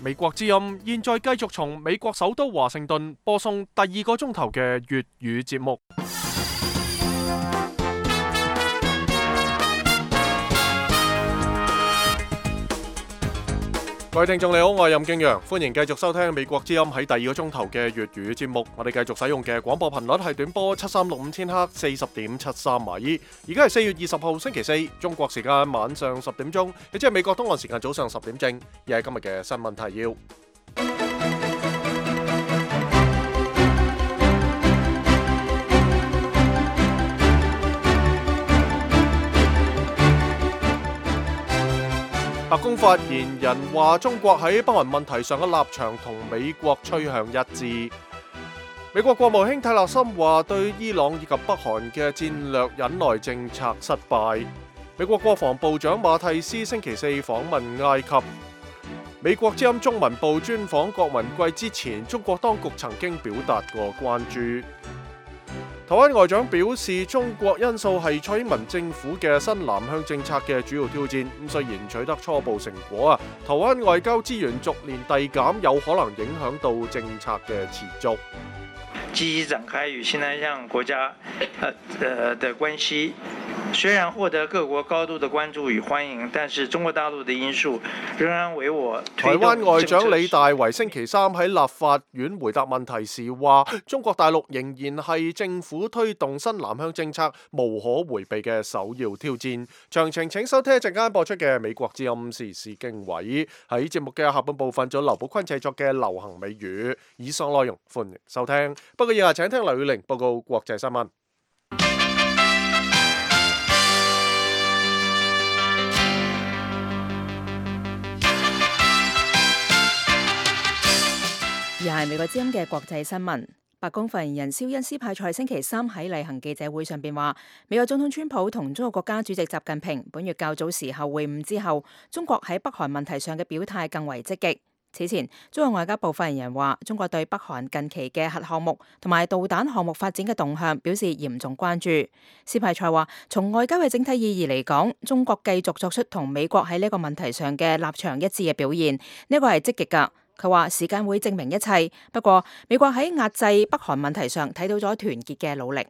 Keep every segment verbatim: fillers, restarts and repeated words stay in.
美國之音現在繼續從美國首都華盛頓播送第二個鐘頭嘅粵語節目。各位聽眾你好，我係任敬陽，歡迎繼續收聽美國之音喺第二個鐘頭嘅粵語節目。我哋繼續使用嘅廣播頻率係短波七三六五千赫四十點七三米。而家係四月二十號星期四，中國時間晚上十點鐘，亦即係美國東岸時間早上十點正。而係今日嘅新聞提要。白宮發言人話，中國喺北韓問題上嘅立場同美國趨向一致。美國國務卿泰勒森話，對伊朗以及北韓嘅戰略忍耐政策失敗。美國國防部長馬蒂斯星期四訪問埃及。美國之音中文部專訪郭文貴之前，中國當局曾經表達過關注。台灣外長表示，中國因素係蔡英文政府嘅新南向政策嘅主要挑戰。咁雖然取得初步成果啊，台灣外交資源逐年遞減，有可能影響到政策嘅持續。積極展開與新南向國家呃呃的關係，雖然獲得各國高度的關注與歡迎，但是中國大陸的因素仍然為我推動。台灣外長李大維星期三喺立法院回答問題時話，中國大陸仍然係政府推動新南向政策無可迴避嘅首要挑戰。詳情請收聽一陣間播出嘅美國之音時事經緯。喺節目嘅下半部分，仲有劉寶坤製作嘅流行美語。以上內容歡迎收聽。不過以下請聽劉宇玲報告國際新聞。而係美國之音嘅國際新聞。白宮發言人蕭恩斯派塞星期三喺例行記者會上邊話，美國總統川普同中國國家主席習近平本月較早時候會晤之後，中國喺北韓問題上嘅表態更為積極。此前，中國外交部發言人話，中國對北韓近期嘅核項目同埋導彈項目發展嘅動向表示嚴重關注。斯派塞話，從外交嘅整體意義嚟講，中國繼續作出同美國喺呢個問題上嘅立場一致嘅表現，呢個係積極㗎。佢話時間會證明一切，不過美國喺壓制北韓問題上睇到咗團結嘅努力。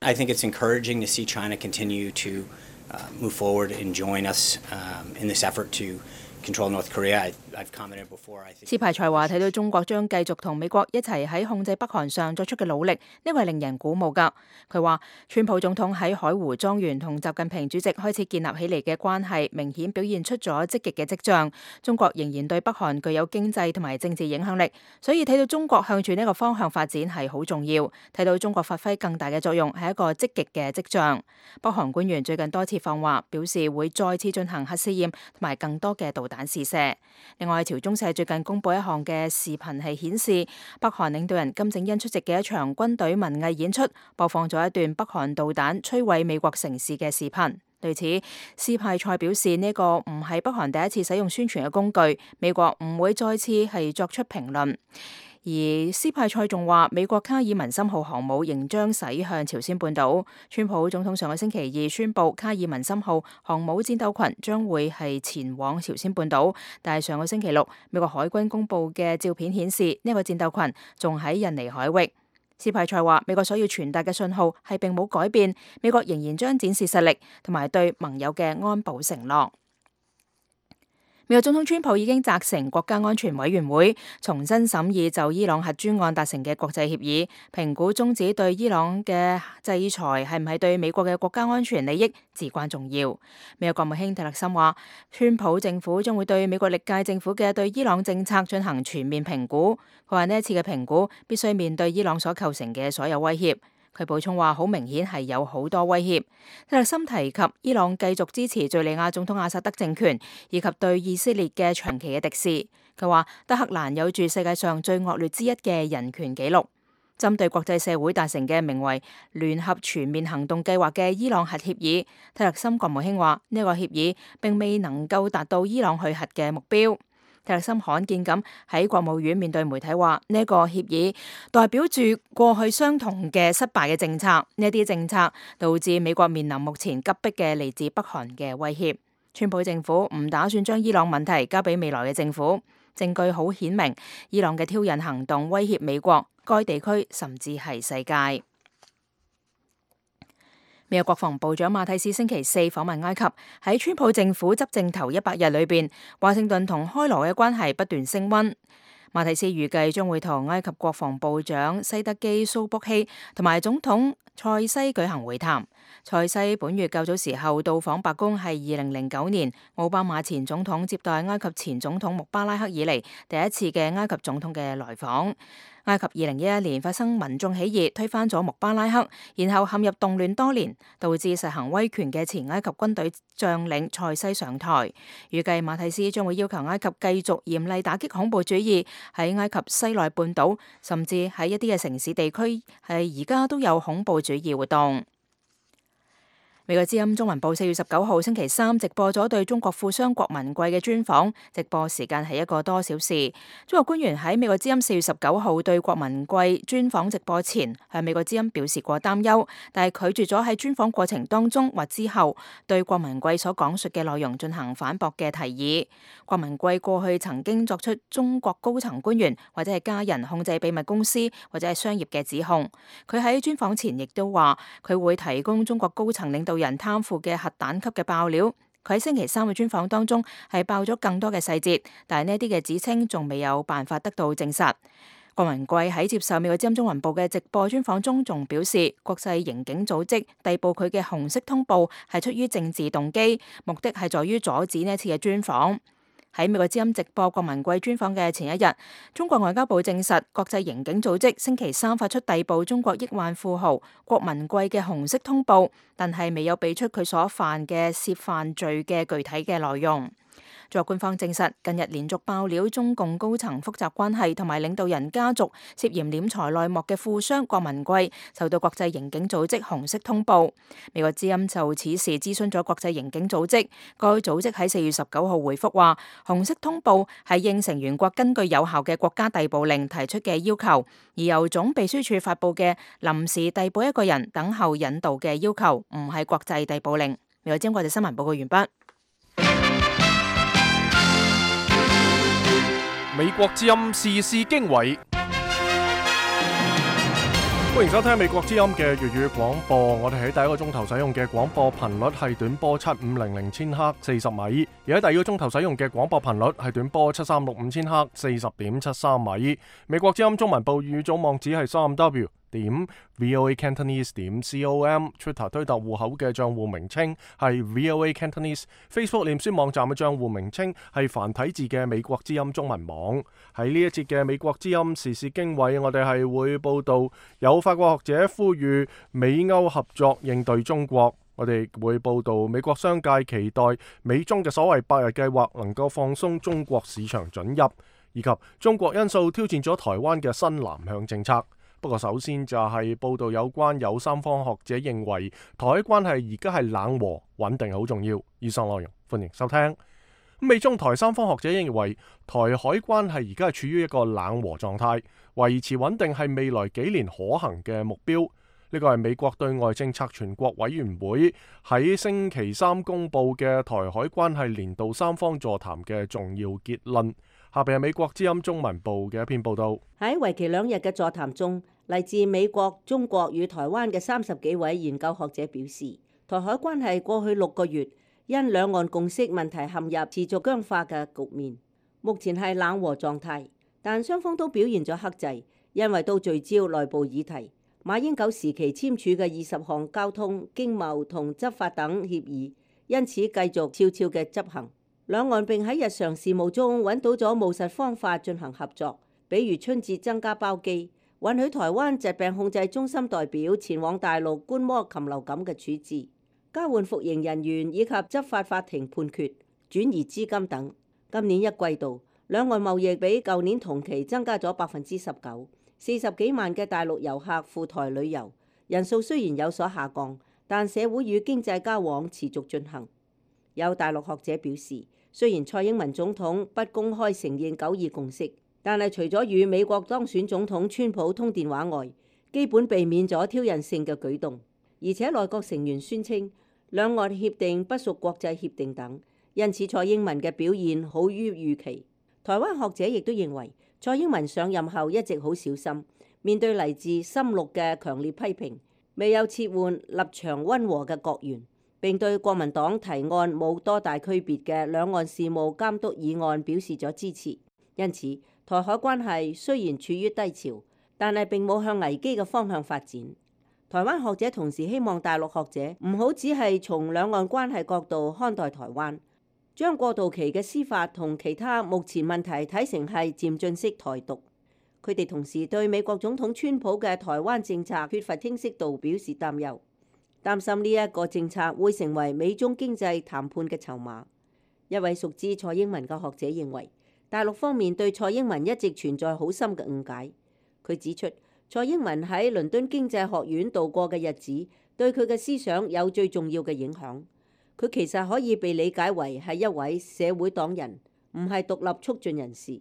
I think it's encouraging to see China continue to uh, move forward and join us um, in this effort to control North Korea. I, I've commented before. I think. 斯派塞話睇到中國將繼續同美國一齊喺控制北韓上作出嘅努力，呢個係令人鼓舞㗎。佢話，川普總統喺海湖莊園同習近平主席開始建立起嚟嘅關係，明顯表現出咗積極嘅跡象。中國仍然對北韓具有經濟同埋政治影響力，所以睇到中國向住呢個方向發展係好重要。睇到中國發揮更大嘅作用係一個積極嘅跡象。北韓官員最近多次放話，表示會再次進行核試驗同埋更多嘅導彈試射。另外，朝中社最近公布一項嘅視頻係顯示，北韓領導人金正恩出席嘅一場軍隊文藝演出，播放咗一段北韓導彈摧毀美國城市嘅視頻。對此，斯派塞表示呢個唔係北韓第一次使用宣傳嘅工具，美國唔會再次係作出評論。而斯派塞仲話，美國卡爾文森號航母仍將駛向朝鮮半島。川普總統上個星期二宣布，卡爾文森號航母戰鬥群將會係前往朝鮮半島，但係上個星期六，美國海軍公布嘅照片顯示，呢個戰鬥群仲喺印尼海域。斯派塞話，美國所要傳達嘅信號係並冇改變，美國仍然將展示實力同埋對盟友嘅安保承諾。美國總統川普已經責成國家安全委員會重新審議就伊朗核專案達成嘅國際協議，評估終止對伊朗嘅制裁係唔係對美國嘅國家安全利益至關重要。美國國務卿蒂勒森話，川普政府將會對美國歷屆政府嘅對伊朗政策進行全面評估。佢話呢一次嘅評估必須面對伊朗所構成嘅所有威脅。佢補充話，好明顯係有好多威脅。蒂勒森提及伊朗繼續支持敘利亞總統阿薩德政權，以及對以色列嘅長期嘅敵視。佢話德黑蘭有住世界上最惡劣之一嘅人權紀錄。針對國際社會達成嘅名為聯合全面行動計劃嘅伊朗核協議，蒂勒森國務卿話呢個協議並未能夠達到伊朗去核嘅目標。蒂勒森罕見咁喺國務院面對媒體話，呢個協議代表住過去相同嘅失敗嘅政策，呢啲政策導致美國面臨目前急迫嘅嚟自北韓嘅威脅。川普政府唔打算將伊朗問題交俾未來嘅政府。證據好顯明，伊朗嘅挑釁行動威脅美國、該地區甚至係世界。美國國防部長馬蒂斯星期四訪問埃及，喺川普政府執政頭一百日裏邊，華盛頓同開羅嘅關係不斷升溫。馬蒂斯預計將會同埃及國防部長西德基蘇卜希同埋總統塞西舉行會談。塞西本月較早時候到訪白宮，係二零零九年奧巴馬前總統接待埃及前總統穆巴拉克以嚟第一次嘅埃及總統嘅來訪。埃及二零一一年發生民眾起義，推翻咗穆巴拉克，然後陷入動亂多年，導致實行威權嘅前埃及軍隊將領塞西上台。預計馬蒂斯將會要求埃及繼續嚴厲打擊恐怖主義，喺埃及西奈半島，甚至喺一啲嘅城市地區，係而家都有恐怖主義活動。美國之音中文部四月十九號星期三直播咗對中國富商郭文貴嘅專訪，直播時間係一個多小時。中國官員喺美國之音四月十九號對郭文貴專訪直播前，向美國之音表示過擔憂，但係拒絕咗喺專訪過程當中或之後對郭文貴所講述嘅內容進行反駁嘅提議。郭文貴過去曾經作出中國高層官員或者係家人控制秘密公司或者係商業嘅指控。佢喺專訪前亦都話佢會提供中國高層領導人貪腐嘅核彈級嘅爆料。佢喺星期三嘅專訪當中係爆咗更多嘅細節，但係呢啲嘅指稱仲未有辦法得到證實。郭文貴喺接受美國之音中文部嘅直播專訪中仲表示，國際刑警組織逮捕佢嘅紅色通報係出於政治動機，目的係在於阻止呢一次嘅專訪。喺美國之音直播郭文貴專訪嘅前一日，中國外交部證實國際刑警組織星期三發出逮捕中國億萬富豪郭文貴嘅紅色通報，但係未有俾出佢所犯嘅涉犯罪嘅具體嘅內容。中國官方證實，近日連續爆料中共高層複雜關係同埋領導人家族涉嫌斂財內幕嘅富商郭文貴，受到國際刑警組織紅色通報。美國之音就此事諮詢咗國際刑警組織，該組織喺四月十九號回覆話，紅色通報係應成員國根據有效嘅國家逮捕令提出嘅要求，而由總秘書處發布嘅臨時逮捕一個人等候引渡嘅要求，唔係國際逮捕令。美國之音國際新聞報告完畢。美國之音時事經緯，歡迎收聽美國之音嘅粵語廣播。我哋喺第一個鐘頭使用嘅廣播頻率係短波七五零零千赫四十米，而喺第二個鐘頭使用嘅廣播頻率係短波七三六五千赫四十點七三米。美國之音中文部語組網址係三 W 點 VOA Cantonese 點 com，Twitter 推特戶口嘅賬戶名稱係 VOA Cantonese，Facebook 臉書網站嘅賬戶名稱係繁體字嘅美國之音中文網。喺呢一節嘅美國之音時事經緯，我哋係會報道有法國學者呼籲美歐合作應對中國。我哋會報道美國商界期待美中嘅所謂百日計劃能夠放鬆中國市場准入，以及中國因素挑戰咗台灣嘅新南向政策。不過首先就係報道有關有三方學者認為台海關係而家係冷和穩定好重要。以上內容歡迎收聽。美中台三方學者認為台海關係而家係處於一個冷和狀態，維持穩定係未來幾年可行嘅目標。呢個係美國對外政策全國委員會喺星期三公佈嘅台海關係年度三方座談嘅重要結論。下邊係美國之音中文部嘅一篇報道。喺為期兩日嘅座談中，嚟自美國、中國與台灣嘅三十幾位研究學者表示，台海關係過去六個月因兩岸共識問題陷入持續僵化嘅局面，目前係冷和狀態，但雙方都表現咗克制，因為都聚焦內部議題。馬英九時期簽署嘅二十項交通、經貿同執法等協議，因此繼續悄悄嘅執行。兩岸並喺日常事務中揾到咗務實方法進行合作，比如春節增加包機，允許台灣疾病控制中心代表前往大陸觀摩禽流感嘅處置，交換服刑人員以及執法法庭判決、轉移資金等。今年一季度，兩岸貿易比舊年同期增加咗百分之十九。四十幾萬嘅大陸遊客赴台旅遊，人數雖然有所下降，但社會與經濟交往持續進行。有大陸學者表示，雖然蔡英文總統不公開承認九二共識，但係除咗與美國當選總統川普通電話外，基本避免咗挑釁性嘅舉動。而且內閣成員宣稱兩岸協定不屬國際協定等，因此蔡英文嘅表現好於預期。台灣學者亦都認為，蔡英文上任後一直好小心，面對嚟自深綠嘅強烈批評，未有撤換立場溫和嘅國員，並對國民黨提案冇多大區別嘅兩岸事務監督議案表示咗支持。因此，台海關係雖然處於低潮，但係並冇向危機嘅方向發展。台灣學者同時希望大陸學者唔好只係從兩岸關係角度看待台灣，將過渡期嘅司法同其他目前問題睇成係漸進式台獨。佢哋同時對美國總統川普嘅台灣政策缺乏清晰度表示擔憂，擔心呢一個政策會成為美中經濟談判嘅籌碼。一位熟知蔡英文嘅學者認為，大陸方面對蔡英文一直存在好深嘅誤解。佢指出，蔡英文喺倫敦經濟學院度過嘅日子，對佢嘅思想有最重要嘅影響。佢其實可以被理解為係一位社會黨人，唔係獨立促進人士。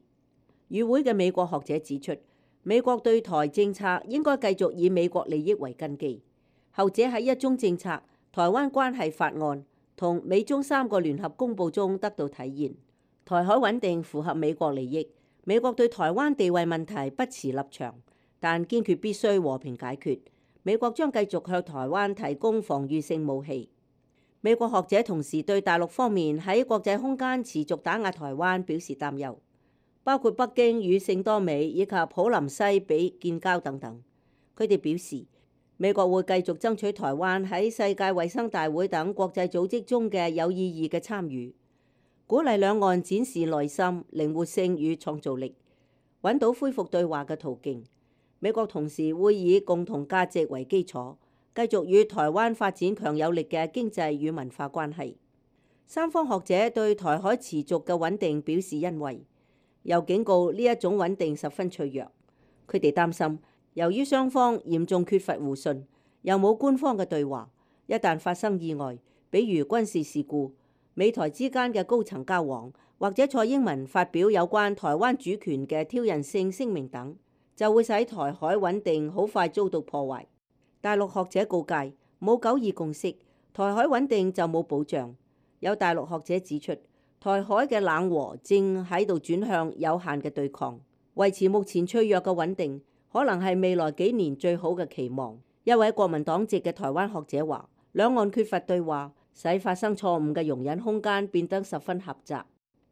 與會嘅美國學者指出，美國對台政策應該繼續以美國利益為根基。後者喺一中政策、台灣關係法案同美中三個聯合公報中得到體現。台海穩定符合美國利益，美國對台灣地位問題不持立場，但堅決必須和平解決。美國將繼續向台灣提供防禦性武器。美國學者同時對大陸方面喺國際空間持續打壓台灣表示擔憂，包括北京與聖多美以及普林西比建交等等。佢哋表示，美國會繼續爭取台灣喺世界衛生大會等國際組織中嘅有意義嘅參與，鼓勵兩岸展示耐心、靈活性與創造力，揾到恢復對話嘅途徑。美國同時會以共同價值為基礎，繼續與台灣發展強有力嘅經濟與文化關係。三方學者對台海持續嘅穩定表示欣慰，又警告呢一種穩定十分脆弱。佢哋擔心，由於雙方嚴重缺乏互信，又冇官方嘅對話，一旦發生意外，比如軍事事故、美台之間嘅高層交往，或者蔡英文發表有關台灣主權嘅挑釁性聲明等，就會使台海穩定好快遭到破壞。大陸學者告誡，冇九二共識，台海穩定就冇保障。有大陸學者指出，台海嘅冷和正喺度轉向有限嘅對抗，維持目前脆弱嘅穩定，可能係未來幾年最好嘅期望。一位國民黨籍嘅台灣學者話，兩岸缺乏對話，使發生錯誤嘅容忍空間變得十分狹窄。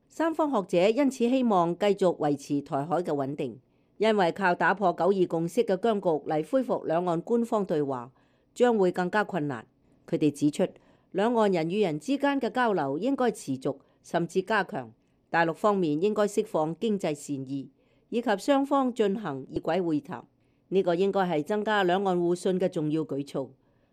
三方學者因此希望繼續維持台海嘅穩定。因為靠打破九二共識嘅僵局嚟恢復兩岸官方對話，將會更加困難。佢哋指出，兩岸人與人之間嘅交流應該持續甚至加強。大陸方面應該釋放經濟善意，以及雙方進行異軌會談。呢、這個應該係增加兩岸互信嘅重要舉措。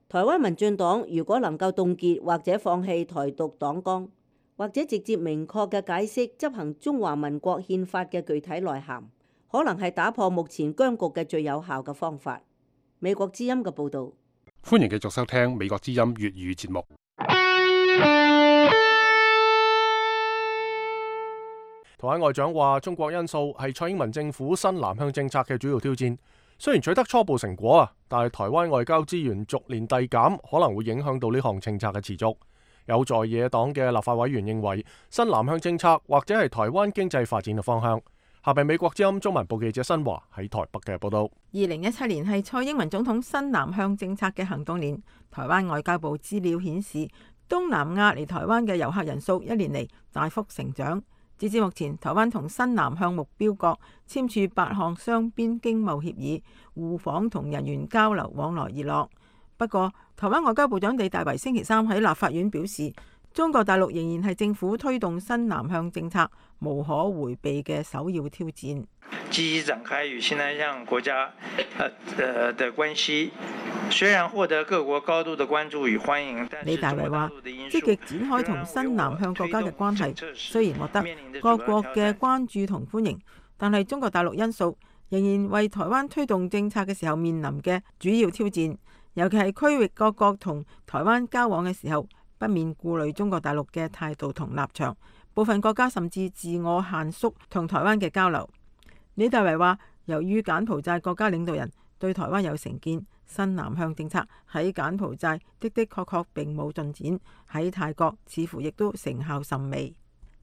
台灣民進黨如果能夠凍結或者放棄台獨黨綱，或者直接明確嘅解釋執行中華民國憲法嘅具體內涵，可能係打破目前僵局嘅最有效嘅方法。美國之音嘅報導。歡迎繼續收聽美國之音粵語節目。台灣外長話，中國因素係蔡英文政府新南向政策嘅主要挑戰。雖然取得初步成果啊，但係台灣外交資源逐年遞減，可能會影響到呢項政策嘅持續。有在野黨嘅立法委員認為，新南向政策或者係台灣經濟發展嘅方向。下邊美國之音中文部記者新華喺台北嘅報道。二零一七年係蔡英文總統新南向政策嘅行動年。台灣外交部資料顯示，東南亞嚟台灣嘅遊客人數一年嚟大幅成長。截至目前，台灣同新南向目標國簽署八項雙邊經貿協議，互訪同人員交流往來熱絡。不過，台灣外交部長李大維星期三喺立法院表示，中國大陸仍然係政府推動新南向政策無可迴避嘅首要挑戰。積極展開與新南向國家呃呃的關係，雖然獲得各國高度的關注與歡迎，但李大維話，積極展開同新南向國家嘅關係，雖然獲得各國嘅關注同歡迎，但係中國大陸因素仍然為台灣推動政策嘅時候面臨嘅主要挑戰，尤其係區域各國同台灣交往嘅時候，不免顧慮中國大陸嘅態度同立場，部分國家甚至自我限縮同台灣嘅交流。李大維話，由於柬埔寨國家領導人對台灣有成見，新南向政策喺柬埔寨的的確確並冇進展，喺泰國似乎亦都成效甚微。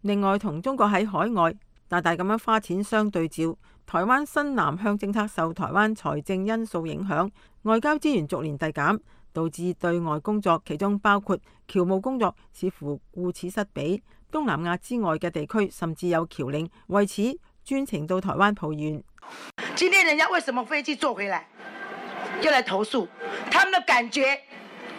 另外，同中國喺海外大大咁樣花錢相對照。台灣新南向政策受台灣財政因素影響，外交資源逐年遞減，導致對外工作，其中包括僑務工作，似乎顧此失彼。東南亞之外嘅地區甚至有僑領為此專程到台灣抱怨。今天人家為什麼飛機坐回來，又來投訴？他們的感覺，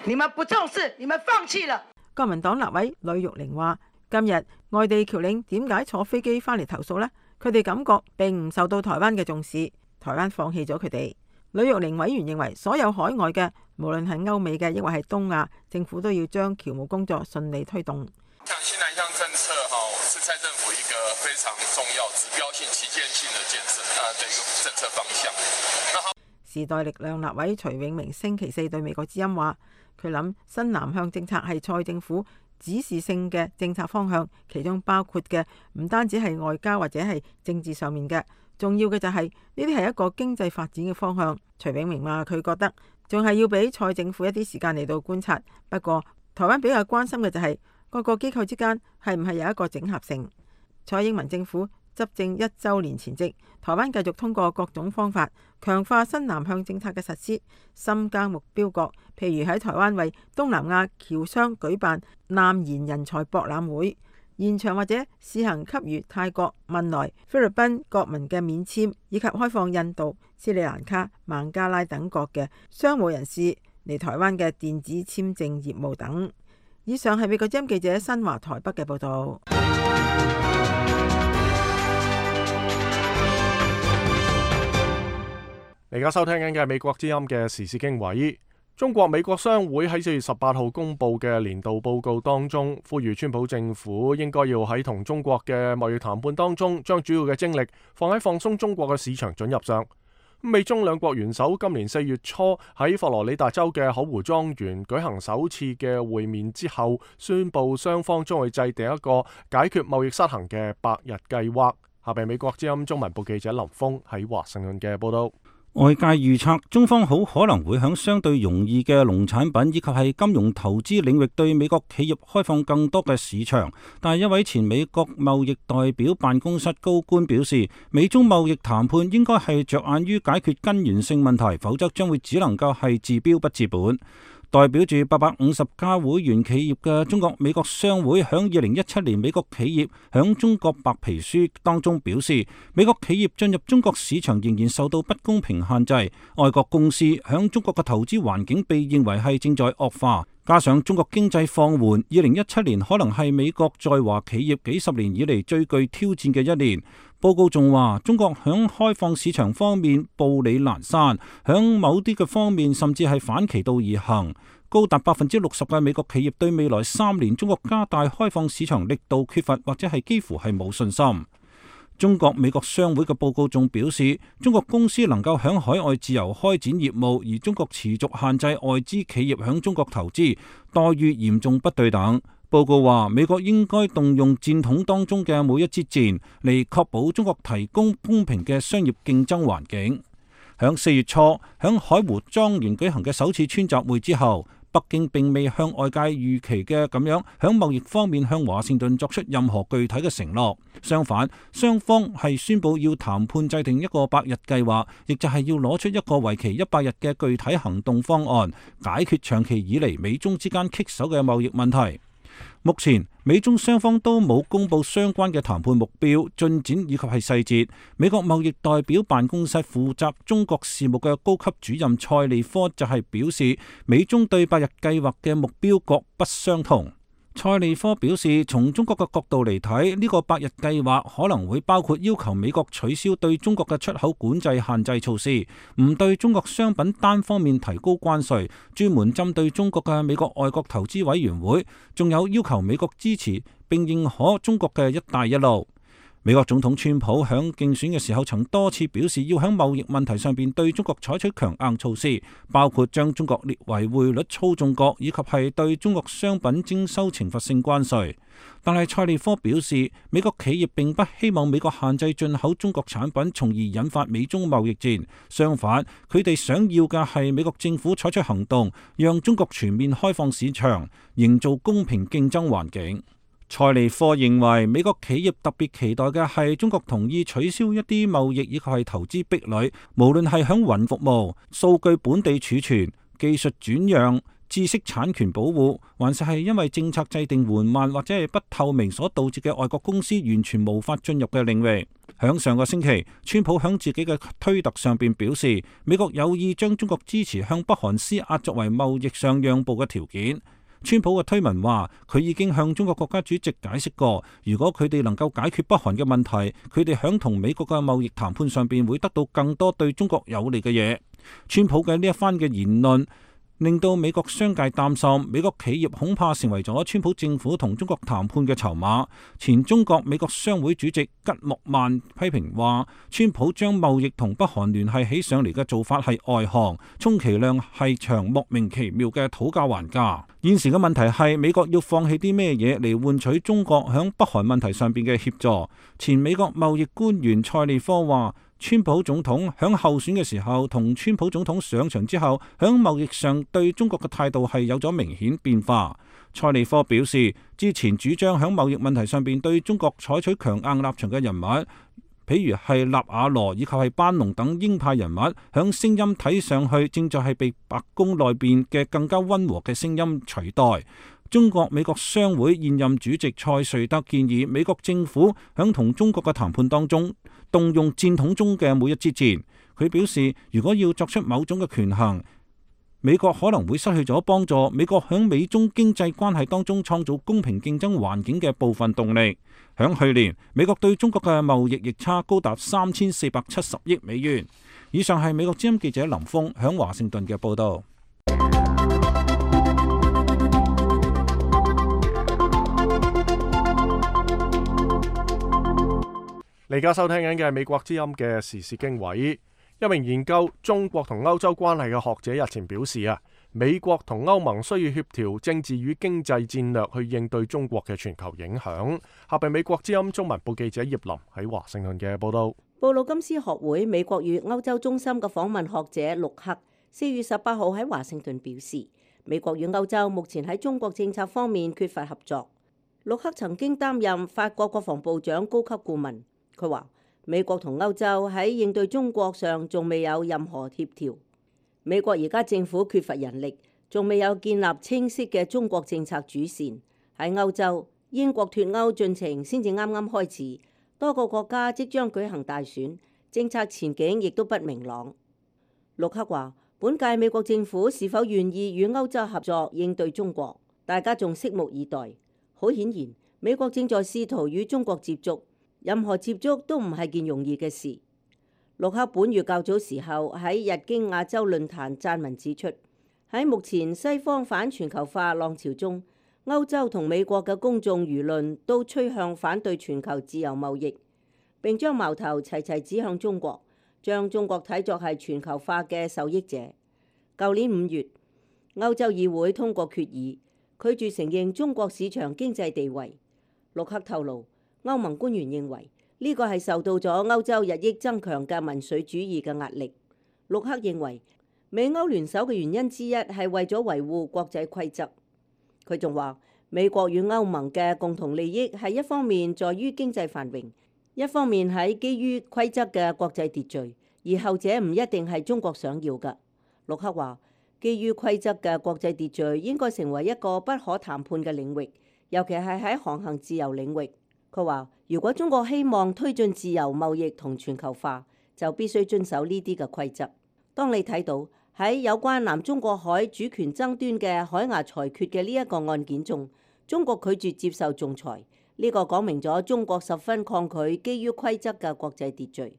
你們不重視，你們放棄了。國民黨立委呂玉玲話：今日外地僑領點解坐飛機返嚟投訴呢？佢哋感覺並唔受到台灣嘅重視，台灣放棄咗佢哋。呂玉玲委員認為，所有海外嘅，無論係歐美嘅，抑或係東亞，政府都要將僑務工作順利推動。像新南向政策哈，是蔡政府一個非常重要、指標性、旗艦性的建設啊的一個政策方向。時代力量立委徐永明星期四對美國之音話：佢諗新南向政策係蔡政府指示性嘅政策方向，其中包括嘅唔單止係外交或者係政治上面嘅，重要嘅就係呢啲係一個經濟發展嘅方向。徐永明話：佢覺得仲係要俾蔡政府一啲時間嚟到觀察。不過台灣比較關心嘅就係各個機構之間係唔係有一個整合性。蔡英文政府執政一週年前夕，台灣繼續通過各種方法強化新南向政策嘅實施，深耕目標國，譬如喺台灣為東南亞僑商舉辦南研人才博覽會，延長或者試行給予泰國、汶萊、菲律賓國民嘅免簽，以及開放印度、斯里蘭卡、孟加拉等國嘅商務人士嚟台灣嘅電子簽證業務等。以上係美國之音記者新華台北嘅報道。你而家收聽緊嘅係美國之音嘅時事經緯。中國美國商會喺四月十八號公布嘅年度報告當中，呼籲川普政府應該要喺同中國嘅貿易談判當中，將主要嘅精力放喺放鬆中國嘅市場准入上。美中兩國元首今年四月初喺佛羅里達州嘅口湖莊園舉行首次嘅會面之後，宣布雙方將會制定一個解決貿易失衡嘅百日計劃。下邊美國之音中文部記者林峰喺華盛頓嘅報道。外界預測中方好可能會響相對容易嘅農產品以及係金融投資領域對美國企業開放更多嘅市場，但係一位前美國貿易代表辦公室高官表示，美中貿易談判應該係着眼於解決根源性問題，否則將會只能夠係治標不治本。代表住八百五十家會員企業嘅中國美國商會響二零一七年美國企業響中國白皮書當中表示，美國企業進入中國市場仍然受到不公平限制，外國公司響中國嘅投資環境被認為係正在惡化，加上中國經濟放緩，二零一七年可能係美國在華企業幾十年以嚟最具挑戰嘅一年。報告仲話，中國響開放市場方面步履蹣跚，響某啲嘅方面甚至係反其道而行。高達百分之六十嘅美國企業對未來三年中國加大開放市場力度缺乏或者係幾乎係冇信心。中國美國商會嘅報告仲表示，中國公司能夠響海外自由開展業務，而中國持續限制外資企業響中國投資，待遇嚴重不對等。報告話，美國應該動用戰筒當中嘅每一支箭嚟確保中國提供公平嘅商業競爭環境。響四月初，響海湖莊園舉行嘅首次川習會之後，北京並未向外界預期嘅咁樣響貿易方面向華盛頓作出任何具體嘅承諾。相反，雙方係宣布要談判制定一個百日計劃，亦就係要攞出一個為期一百日嘅具體行動方案，解決長期以嚟美中之間棘手嘅貿易問題。目前美中雙方都冇公布相關嘅談判目標、進展以及係細節。美國貿易代表辦公室負責中國事務嘅高級主任蔡利科就係表示，美中對百日計劃嘅目標各不相同。蔡利科表示，從中國嘅角度嚟睇，呢個百日計劃可能會包括要求美國取消對中國嘅出口管制限制措施，唔對中國商品單方面提高關稅，專門針對中國嘅美國外國投資委員會，仲有要求美國支持並認可中國嘅一帶一路。美國總統川普響競選嘅時候曾多次表示要響貿易問題上邊對中國採取強硬措施，包括將中國列為匯率操縱國，以及係對中國商品徵收懲罰性關稅。但係蔡利科表示，美國企業並不希望美國限制進口中國產品，從而引發美中貿易戰。相反，佢哋想要嘅係美國政府採取行動，讓中國全面開放市場，營造公平競爭環境。塞利科認為美國企業特別期待嘅係中國同意取消一啲貿易以及係投資壁壘，無論係響雲服務、數據本地儲存、技術轉讓、知識產權保護，還是係因為政策制定緩慢或者係不透明所導致嘅外國公司完全無法進入嘅領域。響上個星期，川普響自己嘅推特上邊表示，美國有意將中國支持向北韓施壓作為貿易上讓步嘅條件。川普嘅推文話，佢已經向中國國家主席解釋過，如果佢哋能夠解決北韓嘅問題，佢哋響同美國嘅貿易談判上邊會得到更多對中國有利嘅嘢。川普嘅呢一番嘅言論令到美國商界擔心，美國企業恐怕成為咗川普政府同中國談判嘅籌碼。前中國美國商會主席吉莫曼批評話，川普將貿易同北韓聯繫起上嚟嘅做法係外行，充其量係場莫名其妙嘅討價還價。現時嘅問題係美國要放棄啲咩嘢嚟換取中國響北韓問題上邊嘅協助。前美國貿易官員塞利科話，川普總統響候選嘅時候同川普總統上場之後，響貿易上對中國嘅態度係有咗明顯變化。塞利科表示，之前主張響貿易問題上邊對中國採取強硬立場嘅人物，譬如係納瓦羅以及係班農等鷹派人物，響聲音睇上去正在係被白宮內邊嘅更加溫和嘅聲音取代。中國美國商會現任主席蔡瑞德建議美國政府響同中國嘅談判當中動用戰筒中嘅每一支箭。佢表示，如果要作出某種嘅權衡，美國可能會失去咗幫助美國響美中經濟關係當中創造公平競爭環境嘅部分動力。響去年，美國對中國嘅貿易逆差高達三千四百七十億美元。以上係美國之音記者林峰響華盛頓嘅報道。你而家收聽緊嘅係美國之音嘅時事經緯。一名研究中國同歐洲關係嘅學者日前表示啊，美國同歐盟需要協調政治與經濟戰略去應對中國嘅全球影響。下邊美國之音中文部記者葉林喺華盛頓嘅報道。布魯金斯學會美國與歐洲中心嘅訪問學者陸克四月十八號喺華盛頓表示，美國與歐洲目前喺中國政策方面缺乏合作。陸克曾經擔任法國國防部長高級顧問。佢話美國同歐洲喺應對中國上仲未有任何協調。美國而家政府缺乏人力，仲未有建立清晰嘅中國政策主線。喺歐洲，英國脫歐進程先至啱啱開始，多個國家即將舉行大選，政策前景亦都不明朗。陸克話，本屆美國政府是否願意與歐洲合作應對中國，大家仲拭目以待。好顯然，美國正在試圖與中國接觸。任何接觸都唔係件容易嘅事。陸克本月較早時候喺日經亞洲論壇撰文指出，喺目前西方反全球化浪潮中，歐洲同美國嘅公眾輿論都趨向反對全球自由貿易，並將矛頭齊齊指向中國，將中國睇作係全球化嘅受益者。舊年五月，歐洲議會通過決議，拒絕承認中國市場經濟地位。陸克透露，歐盟官員認為呢個係受到咗歐洲日益增強嘅民粹主義嘅壓力。陸克認為美歐聯手嘅原因之一係為咗維護國際規則。佢仲話美國與歐盟嘅共同利益係一方面在於經濟繁榮，一方面喺基於規則嘅國際秩序，而後者唔一定係中國想要嘅。陸克話基於規則嘅國際秩序應該成為一個不可談判嘅領域，尤其係喺航行自由領域。佢話：如果中國希望推進自由貿易同全球化，就必須遵守呢啲嘅規則。當你睇到喺有關南中國海主權爭端嘅海牙裁決嘅呢一個案件中，中國拒絕接受仲裁，呢個講明咗中國十分抗拒基於規則嘅國際秩序。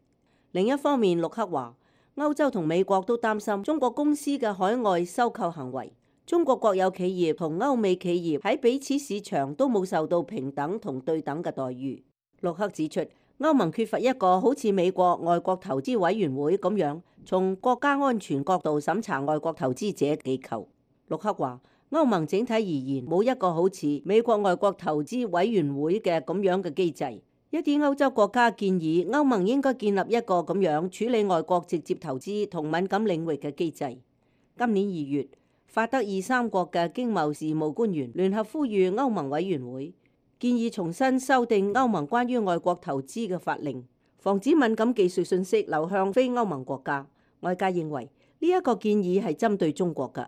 另一方面，陸克話歐洲同美國都擔心中國公司嘅海外收購行為。中國國有企業同歐美企業喺彼此市場都冇受到平等同對等嘅待遇。陸克指出，歐盟缺乏一個好似美國外國投資委員會咁樣從國家安全角度審查外國投資者機構。陸克話，歐盟整體而言冇一個好似美國外國投資委員會嘅咁樣嘅機制。一啲歐洲國家建議歐盟應該建立一個咁樣處理外國直接投資同敏感領域嘅機制。今年二月，法德二三國嘅經貿事務官員聯合呼籲歐盟委員會建議重新修訂歐盟關於外國投資嘅法令，防止敏感技術信息流向非歐盟國家。外界認為呢一個建議係針對中國㗎。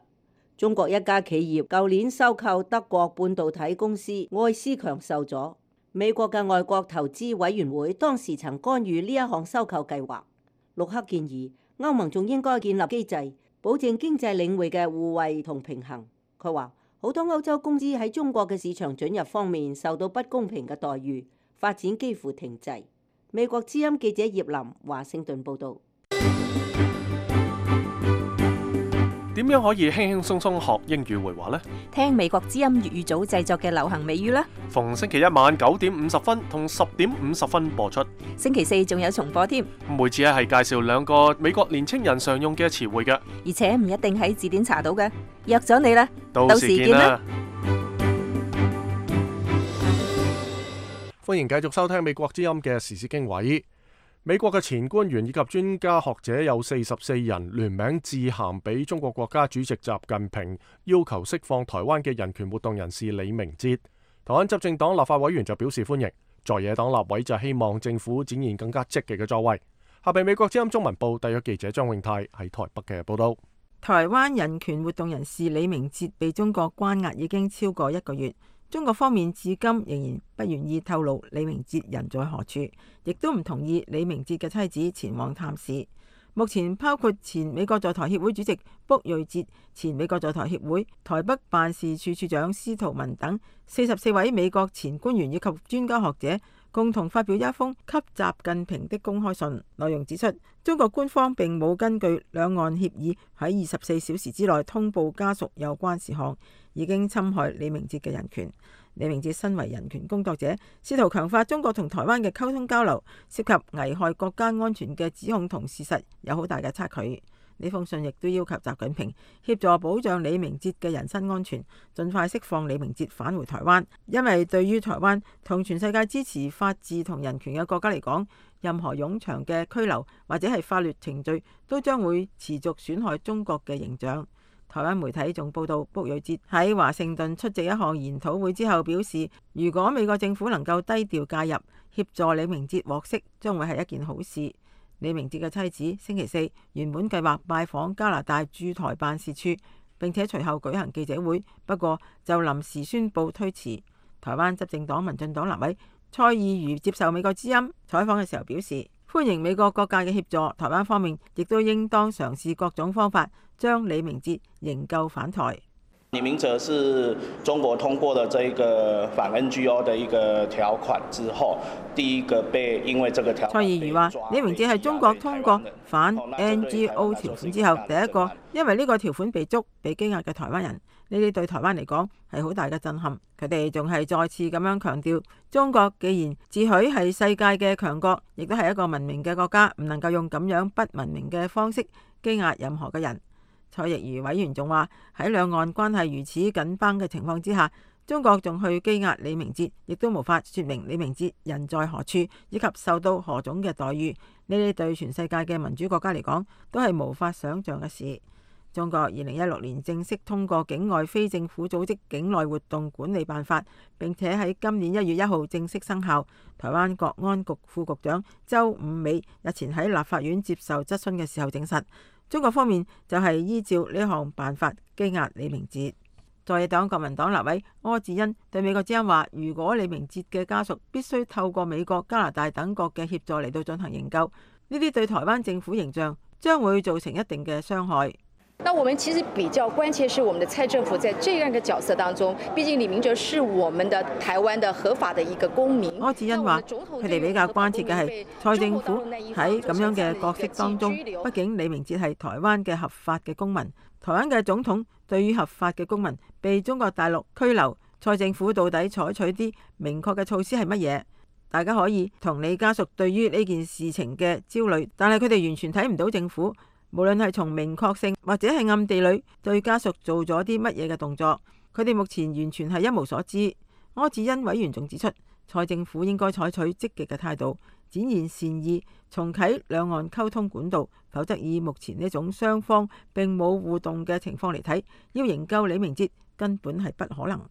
中國一家企業舊年收購德國半導體公司愛思強受阻，美國嘅外國投資委員會當時曾干預呢一項收購計劃。陸克建議歐盟仲應該建立機制，保證經濟領域嘅互惠同平衡。佢話好多歐洲公司喺中國嘅市場准入方面受到不公平嘅待遇，發展幾乎停滯。美國之音記者葉林華盛頓報導。點樣可以輕輕鬆鬆學英語會話呢？聽美國之音粵語組製作嘅流行美語啦！逢星期一晚九點五十分同十點五十分播出，星期四仲有重播添。每次咧係介紹兩個美國年青人常用嘅詞彙嘅，而且唔一定喺字典查到嘅。約咗你啦，到時見啦！歡迎繼續收聽美國之音嘅時事經緯。美國嘅前官員以及專家學者有四十四人聯名致函俾中國國家主席習近平，要求釋放台灣嘅人權活動人士李明哲。台灣執政黨立法委員就表示歡迎，在野黨立委就希望政府展現更加積極嘅作為。下邊美國之音中文部特約記者張永泰喺台北嘅報道。台灣人權活動人士李明哲被中國關押已經超過一個月。中國方面至今仍然不願意透露李明哲人在何處，亦都唔同意李明哲嘅妻子前往探視。目前包括前美國在台協會主席卜瑞哲、前美國在台協會台北辦事處處長司徒文等四十四位美國前官員以及專家學者共同發表一封給習近平的公開信，內容指出中國官方並冇根據兩岸協議喺二十四小時之內通報家屬有關事項，已經侵害李明哲嘅人權。李明哲身為人權工作者，試圖強化中國同台灣嘅溝通交流，涉及危害國家安全嘅指控同事實有好大嘅差距。呢封信亦都要求習近平協助保障李明哲嘅人身安全，盡快釋放李明哲返回台灣。因為對於台灣同全世界支持法治同人權嘅國家嚟講，任何冗長嘅拘留或者係法律程序都將會持續損害中國嘅形象。台灣媒體仲報道，卜瑞哲喺華盛頓出席一項研討會之後表示，如果美國政府能夠低調介入協助李明哲獲釋，將會係一件好事。李明哲嘅妻子星期四原本計劃拜訪加拿大駐台辦事處，並且隨後舉行記者會，不過就臨時宣布推遲。台灣執政黨民進黨立委蔡意如接受美國之音採訪嘅時候表示，歡迎美國各界嘅協助，台灣方面亦都應當嘗試各種方法將李明哲營救返台。李明哲是中國通過了這個反 N G O 的一個條款之後，第一個被因為這個條款。蔡意如話：李明哲係中國通過反 N G O 條款之後第一個因為呢個條款被捉、被羈押嘅台灣人。呢啲對台灣嚟講係好大嘅震撼。佢哋仲係再次咁樣強調，中國既然自詡係世界嘅強國，亦都係一個文明嘅國家，唔能夠用咁樣不文明嘅方式羈押任何嘅人。蔡亦如委員仲話，喺兩岸關係如此緊繃嘅情況之下，中國仲去羈押李明哲，亦都無法說明李明哲人在何處以及受到何種嘅待遇。呢啲對全世界嘅民主國家嚟講都係無法想像嘅事。中國二零一六年正式通過境外非政府組織境內活動管理辦法，並且喺今年一月一號正式生效。台灣國安局副局長周五美日前喺立法院接受質詢嘅時候證實，中國方面就係依照呢項辦法羈押李明哲。在野黨國民黨立委柯志恩對美國之音話，如果李明哲嘅家屬必須透過美國、加拿大等國嘅協助嚟到進行營救，呢啲對台灣政府形象將會造成一定嘅傷害。那我們其實比較關切是我們的蔡政府在這樣一個角色當中，畢竟李明哲是我們的台灣的合法的一個公民。柯志恩話：佢哋比較關切嘅係蔡政府喺咁樣嘅角色當中，畢竟李明哲係台灣嘅合法嘅公民。台灣嘅總統對於合法嘅公民被中國大陸拘留，蔡政府到底採取啲明確嘅措施係乜嘢？大家可以同你家屬對於呢件事情嘅焦慮，但係佢哋完全睇唔到政府無論係從明確性或者係暗地裏對家屬做咗啲乜嘢嘅動作，佢哋目前完全係一無所知。柯志恩委員仲指出，蔡政府應該採取積極嘅態度，展現善意，重啟兩岸溝通管道，否則以目前呢種雙方並冇互動嘅情況嚟睇，要營救李明哲根本係不可能。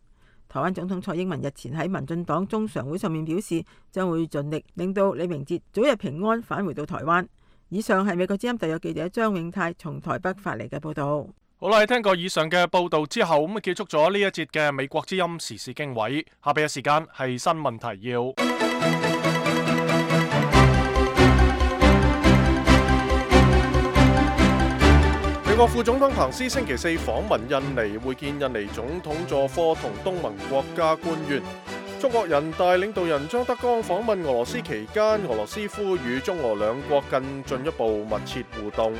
台灣總統蔡英文日前喺民進黨中常會上面表示，將會盡力令到李明哲早日平安返回到台灣。以上係美國之音特約記者張永泰從台北發嚟嘅報道。好啦，聽過以上嘅報道之後，咁啊結束咗呢一節嘅美國之音時事經緯。下邊嘅時間係新聞提要。美國副總統彭斯星期四訪問印尼，會見印尼總統佐科同東盟國家官員。中國人大領導人張德江訪問俄羅斯期間，俄羅斯呼籲中俄兩國更進一步密切互動。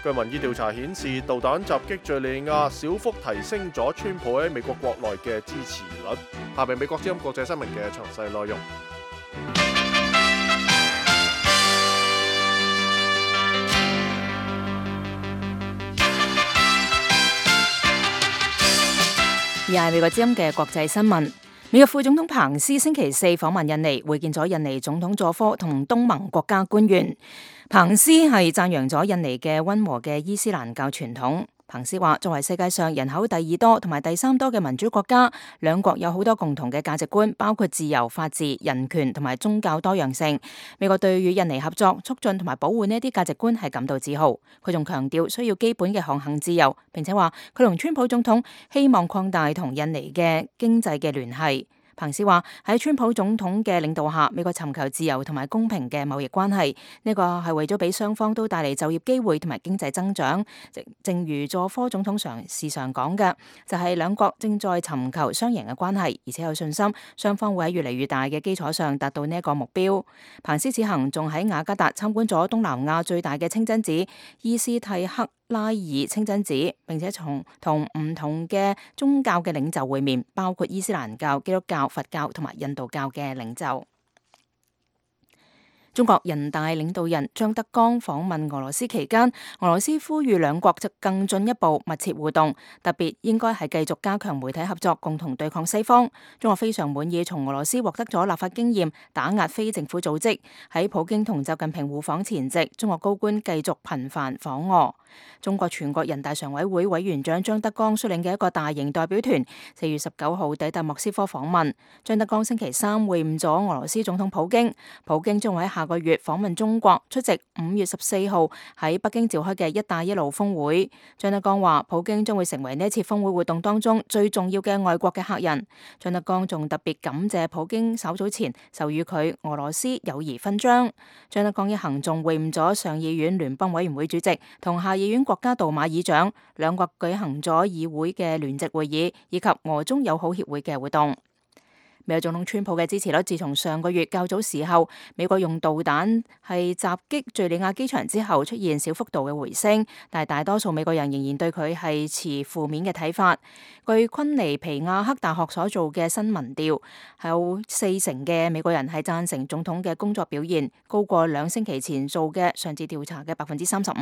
據民意調查顯示，導彈襲擊敘利亞小幅提升咗川普喺美國國內嘅支持率。下面美國之音國際新聞嘅詳細內容。而係美國之音嘅國際新聞。美國副總統彭斯星期四訪問印尼，會見咗印尼總統佐科同東盟國家官員。彭斯係讚揚咗印尼嘅溫和嘅伊斯蘭教傳統。彭斯話：作為世界上人口第二多同埋第三多嘅民主國家，兩國有好多共同嘅價值觀，包括自由、法治、人權同埋宗教多樣性。美國對與印尼合作、促進同埋保護呢啲價值觀係感到自豪。佢仲強調需要基本嘅航行自由，並且話佢同川普總統希望擴大同印尼嘅經濟嘅聯繫。彭斯話喺川普總統嘅領導下，美國尋求自由同埋公平嘅貿易關係，呢個係為咗俾雙方都帶嚟就業機會同埋經濟增長。正如佐科總統常時常講嘅，就係兩國正在尋求雙贏嘅關係，而且有信心雙方會喺越嚟越大嘅基礎上達到呢一個目標。彭斯此行仲喺雅加達參觀咗東南亞最大嘅清真寺伊斯蒂克拉爾清真寺，並且從同唔同嘅宗教嘅領袖會面，包括伊斯蘭教、基督教、佛教同埋印度教嘅領袖。中國人大領導人張德江訪問俄羅斯期間，俄羅斯呼籲兩國就更進一步密切互動，特別應該係繼續加強媒體合作，共同對抗西方。中國非常滿意從俄羅斯獲得咗立法經驗，打壓非政府組織。喺普京同習近平互訪前夕，中國高官繼續頻繁訪俄。中國全國人大常委會委員長張德江率領嘅一個大型代表團，四月十九號抵達莫斯科訪問。張德江星期三會晤咗俄羅斯總統普京，普京將會喺下個月訪問中國，出席五月十四號喺北京召開嘅一帶一路峰會。張德江話，普京將會成為呢一次峰會活動當中最重要嘅外國嘅客人。張德江仲特別感謝普京稍早前授予佢俄羅斯友誼勳章。張德江一行仲會晤咗上議院聯邦委員會主席同下議院國家杜馬議長，兩國舉行咗議會嘅聯席會議以及俄中友好協會嘅活動。美國總統川普嘅支持率自從上個月較早時候美國用導彈係襲擊敘利亞機場之後出現小幅度嘅回升，但係大多數美國人仍然對佢係持負面嘅睇法。據昆尼皮亞克大學所做嘅新民調，有四成嘅美國人係贊成總統嘅工作表現，高過兩星期前做嘅上次調查嘅百分之三十五。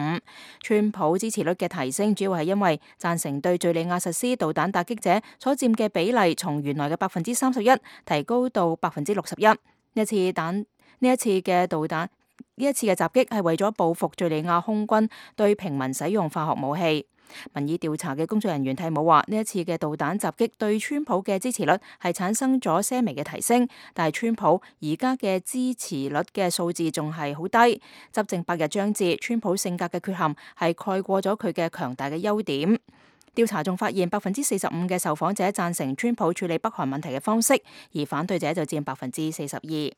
川普支持率嘅提升主要係因為贊成對敘利亞實施導彈打擊者所佔嘅比例從原來嘅百分之三十一提高到百分之六十一。呢一次彈呢一次嘅導彈呢一次嘅襲擊係為咗報復敘利亞空軍對平民使用化學武器。民意調查嘅工作人員蒂姆話，呢一次嘅導彈襲擊對川普嘅支持率係產生咗些微嘅提升，但係川普而家嘅支持率嘅數字仲係好低。執政百日將至，川普性格嘅缺陷係蓋過咗佢嘅強大嘅優點。調查仲發現，百分之四十五嘅受訪者贊成川普處理北韓問題嘅方式，而反對者就佔百分之四十二。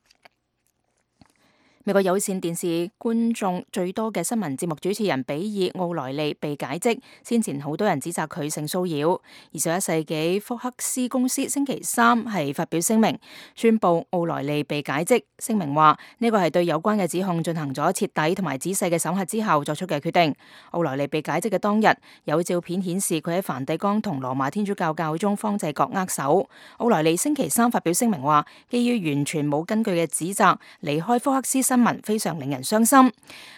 美國有線電視觀眾最多嘅新聞節目主持人比爾奧萊利被解職，先前好多人指責佢性騷擾。二十一世紀福克斯公司星期三係發表聲明，宣布奧萊利被解職。聲明話呢個係對有關嘅指控進行咗徹底同埋仔細嘅審核之後作出嘅決定。奧萊利被解職嘅當日，有照片顯示佢喺梵蒂岡同羅馬天主教教宗方濟各握手。奧萊利星期三發表聲明話，基於完全冇根據嘅指責，離開福克斯新聞非常令人傷心。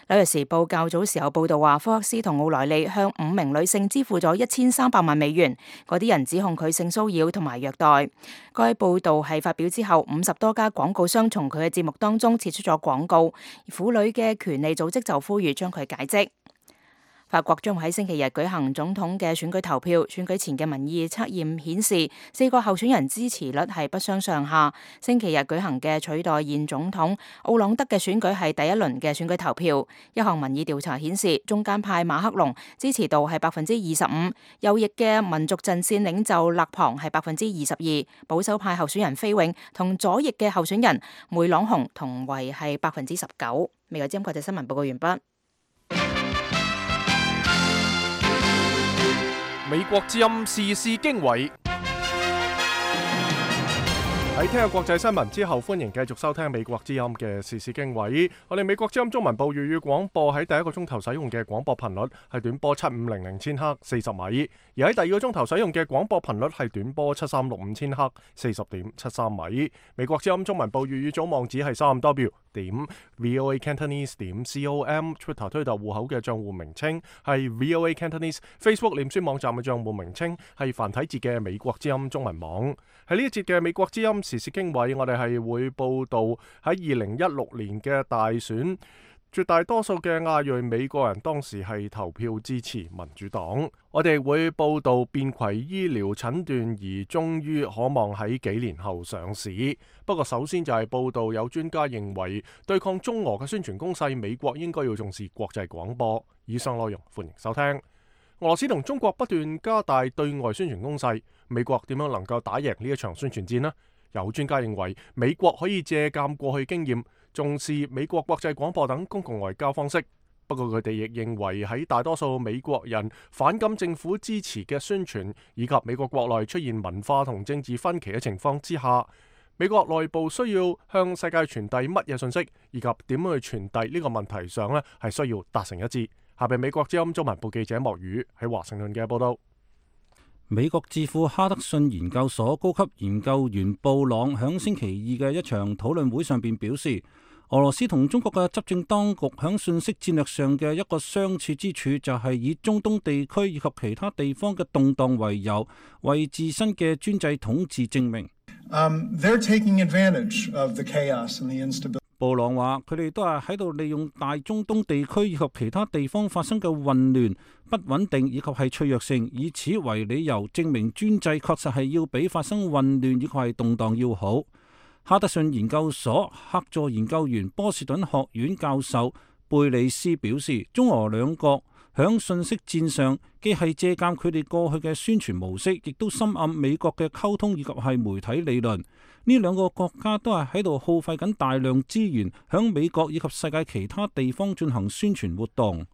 紐約時報較早時候報道話，福克斯同奧萊利向五名女性支付咗一千三百萬美元，嗰啲人指控佢性騷擾同埋虐待。該報道係發表之後，五十多家廣告商從佢嘅節目當中撤出咗廣告，婦女嘅權利組織就呼籲將佢解職。法國將會喺星期日舉行總統嘅選舉投票，選舉前嘅民意測驗顯示，四個候選人支持率係不相上下。星期日舉行嘅取代現總統奧朗德嘅選舉係第一輪嘅選舉投票。一項民意調查顯示，中間派馬克龍支持度係百分之二十五，右翼嘅民族陣線領袖勒龐係百分之二十二，保守派候選人菲永同左翼嘅候選人梅朗雄同為係百分之十九。美國之音國際新聞報告完畢。美國之音時事經緯。喺聽日國際新聞之後，歡迎繼續收聽美國之音嘅時事經緯。我哋美國之音中文部粵語廣播喺第一個鐘頭使用嘅廣播頻率係短波七五零零千赫四十米，而喺第二個鐘頭使用嘅廣播頻率係短波七三六五千赫四十點七三米。美國之音中文部粵語組網址係三 W 點 V O A Cantonese 點 C O M，Twitter 推特戶口嘅賬戶名稱係 V O A Cantonese，Facebook 臉書網站嘅賬戶名稱係繁體字嘅美國之音中文網。喺呢一節嘅美國之音時事經緯，我哋係會報道喺二零一六年嘅大選，絕大多數嘅亞裔美國人當時係投票支持民主黨。我哋會報道便攜醫療診斷儀終於可望喺幾年後上市。不過首先就係報道有專家認為對抗中俄嘅宣傳攻勢，美國應該要重視國際廣播。以上內容歡迎收聽。俄羅斯同中國不斷加大對外宣傳攻勢，美國點樣能夠打贏呢一場宣傳戰呢？有專家認為美國可以借鑑過去經驗，重視美國國際廣播等公共外交方式。不過佢哋亦認為喺大多數美國人反感政府支持嘅宣傳，以及美國國內出現文化同政治分歧嘅情況之下，美國內部需要向世界傳遞乜嘢信息，以及點樣去傳遞呢個問題上呢，係需要達成一致。下邊美國之音中文部記者莫宇喺華盛頓嘅報道。美國智庫哈德遜研究所高級研究員布朗響星期二嘅一場討論會上邊表示，俄羅斯同中國嘅執政當局響信息戰略上嘅一個相似之處，就係以中東地區以及其他地方嘅動盪為由，為自身嘅專制統治證明。Um, they're taking advantage of the chaos and the instability. 布朗話：佢哋都係喺度利用大中東地區以及其他地方發生嘅混亂、不穩定以及係脆弱性，以此為理由證明專制確實係要比發生混亂以及係動盪要好。哈德遜研究所客座研究員波士頓學院教授貝里斯表示，中俄兩國響信息戰上既係借鑑佢哋過去嘅宣傳模式，亦都深諳美國嘅溝通以及係媒體理論。呢兩個國家都係喺度耗費緊大量資源，響美國以及世界其他地方進行宣傳活動。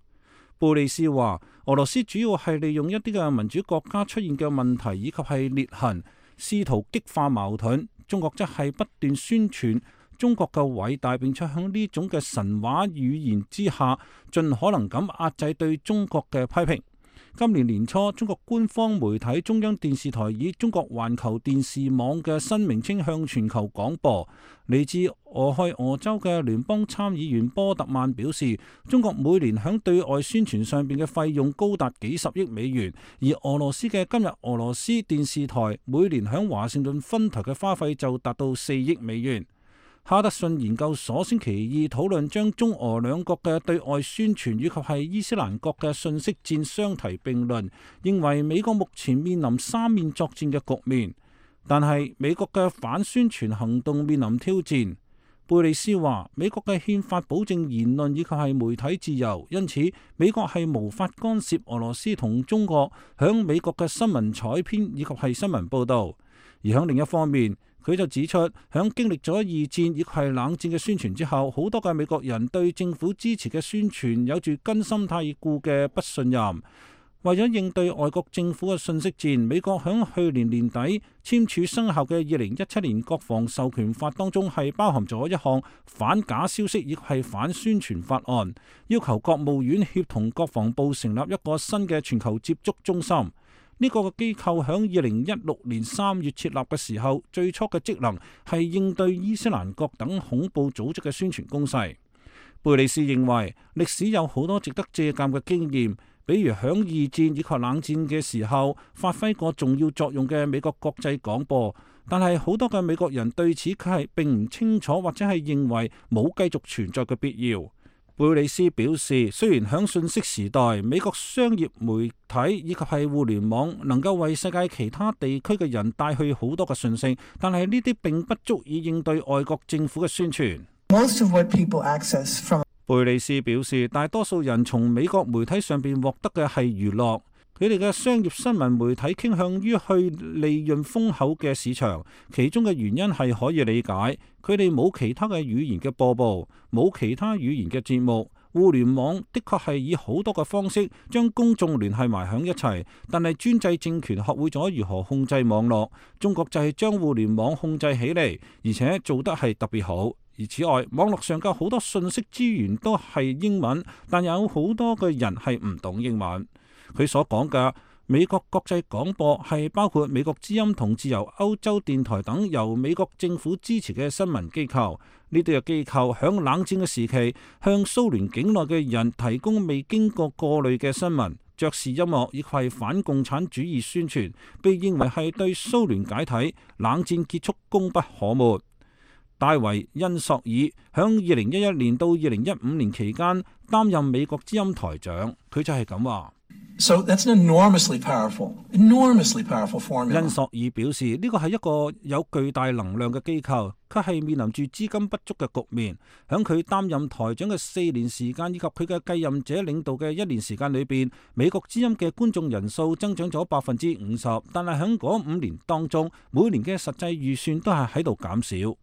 布利斯話：俄羅斯主要係利用一啲嘅民主國家出現嘅問題以及係裂痕，試圖激化矛盾。中國則係不斷宣傳中國嘅偉大，並且響呢種嘅神話語言之下，盡可能咁壓制對中國嘅批評。今年年初，中國官方媒體中央電視台以中國環球電視網嘅新名稱向全球廣播。嚟自俄亥俄州嘅聯邦參議員波特曼表示，中國每年響對外宣傳上邊嘅費用高達幾十億美元，而俄羅斯嘅今日俄羅斯電視台每年響華盛頓分台嘅花費就達到四億美元。哈德遜研究所星期二討論將中俄兩國嘅對外宣傳以及係伊斯蘭國嘅信息戰相提並論，認為美國目前面臨三面作戰嘅局面，但係美國嘅反宣傳行動面臨挑戰。貝利斯話：美國嘅憲法保證言論以及係媒體自由，因此美國係無法干涉俄羅斯同中國響美國嘅新聞採編以及係新聞報導。而響另一方面，佢就指出，響經歷咗二戰以及係冷戰嘅宣傳之後，好多嘅美國人對政府支持嘅宣傳有住根深蒂固嘅不信任。為咗應對外國政府嘅信息戰，美國響去年年底簽署生效嘅二零一七年國防授權法當中，係包含咗一項反假消息亦係反宣傳法案，要求國務院協同國防部成立一個新嘅全球接觸中心。呢個機構響二零一六年三月設立嘅時候，最初嘅職能係應對伊斯蘭國等恐怖組織嘅宣傳攻勢。貝利斯認為歷史有好多值得借鑑嘅經驗，比如響二戰以及冷戰嘅時候發揮過重要作用嘅美國國際廣播，但係好多嘅美國人對此佢係並唔清楚，或者係認為冇繼續存在嘅必要。貝里斯表示，雖然響信息時代，美國商業媒體以及係互聯網能夠為世界其他地區嘅人帶去好多嘅訊息，但係呢啲並不足以應對外國政府嘅宣傳。Most of what people access from 貝里斯表示，大多數人從美國媒體上邊獲得嘅係娛樂，佢哋嘅商業新聞媒體傾向於去利潤豐厚嘅市場，其中嘅原因係可以理解，佢哋冇其他嘅語言嘅播報，冇其他語言嘅節目。互聯網的確係以好多嘅方式將公眾聯繫埋響一齊，但係專制政權學會咗如何控制網絡，中國就係將互聯網控制起嚟，而且做得係特別好。而此外，網絡上嘅好多信息資源都係英文，但有好多嘅人係唔懂英文。佢所講嘅美國國際廣播係包括美國之音同自由歐洲電台等由美國政府支持嘅新聞機構。呢啲嘅機構響冷戰嘅時期向蘇聯境內嘅人提供未經過過濾嘅新聞、爵士音樂以及係反共產主義宣傳，被認為係對蘇聯解體、冷戰結束功不可沒。戴維·恩索爾響二零一一年到二零一五年期間擔任美國之音台長，佢就係咁話。So that's an enormously powerful, enormously powerful formula. 恩索爾表示，呢個係一個有巨大能量嘅機構，佢係面臨住資金不足嘅局面。響佢擔任台長嘅四年時間，以及佢嘅繼任者領導嘅一年時間裏邊，美國之音嘅觀眾人數增長咗百分之五十，但係響嗰五年當中，每年嘅實際預算都係喺度減少。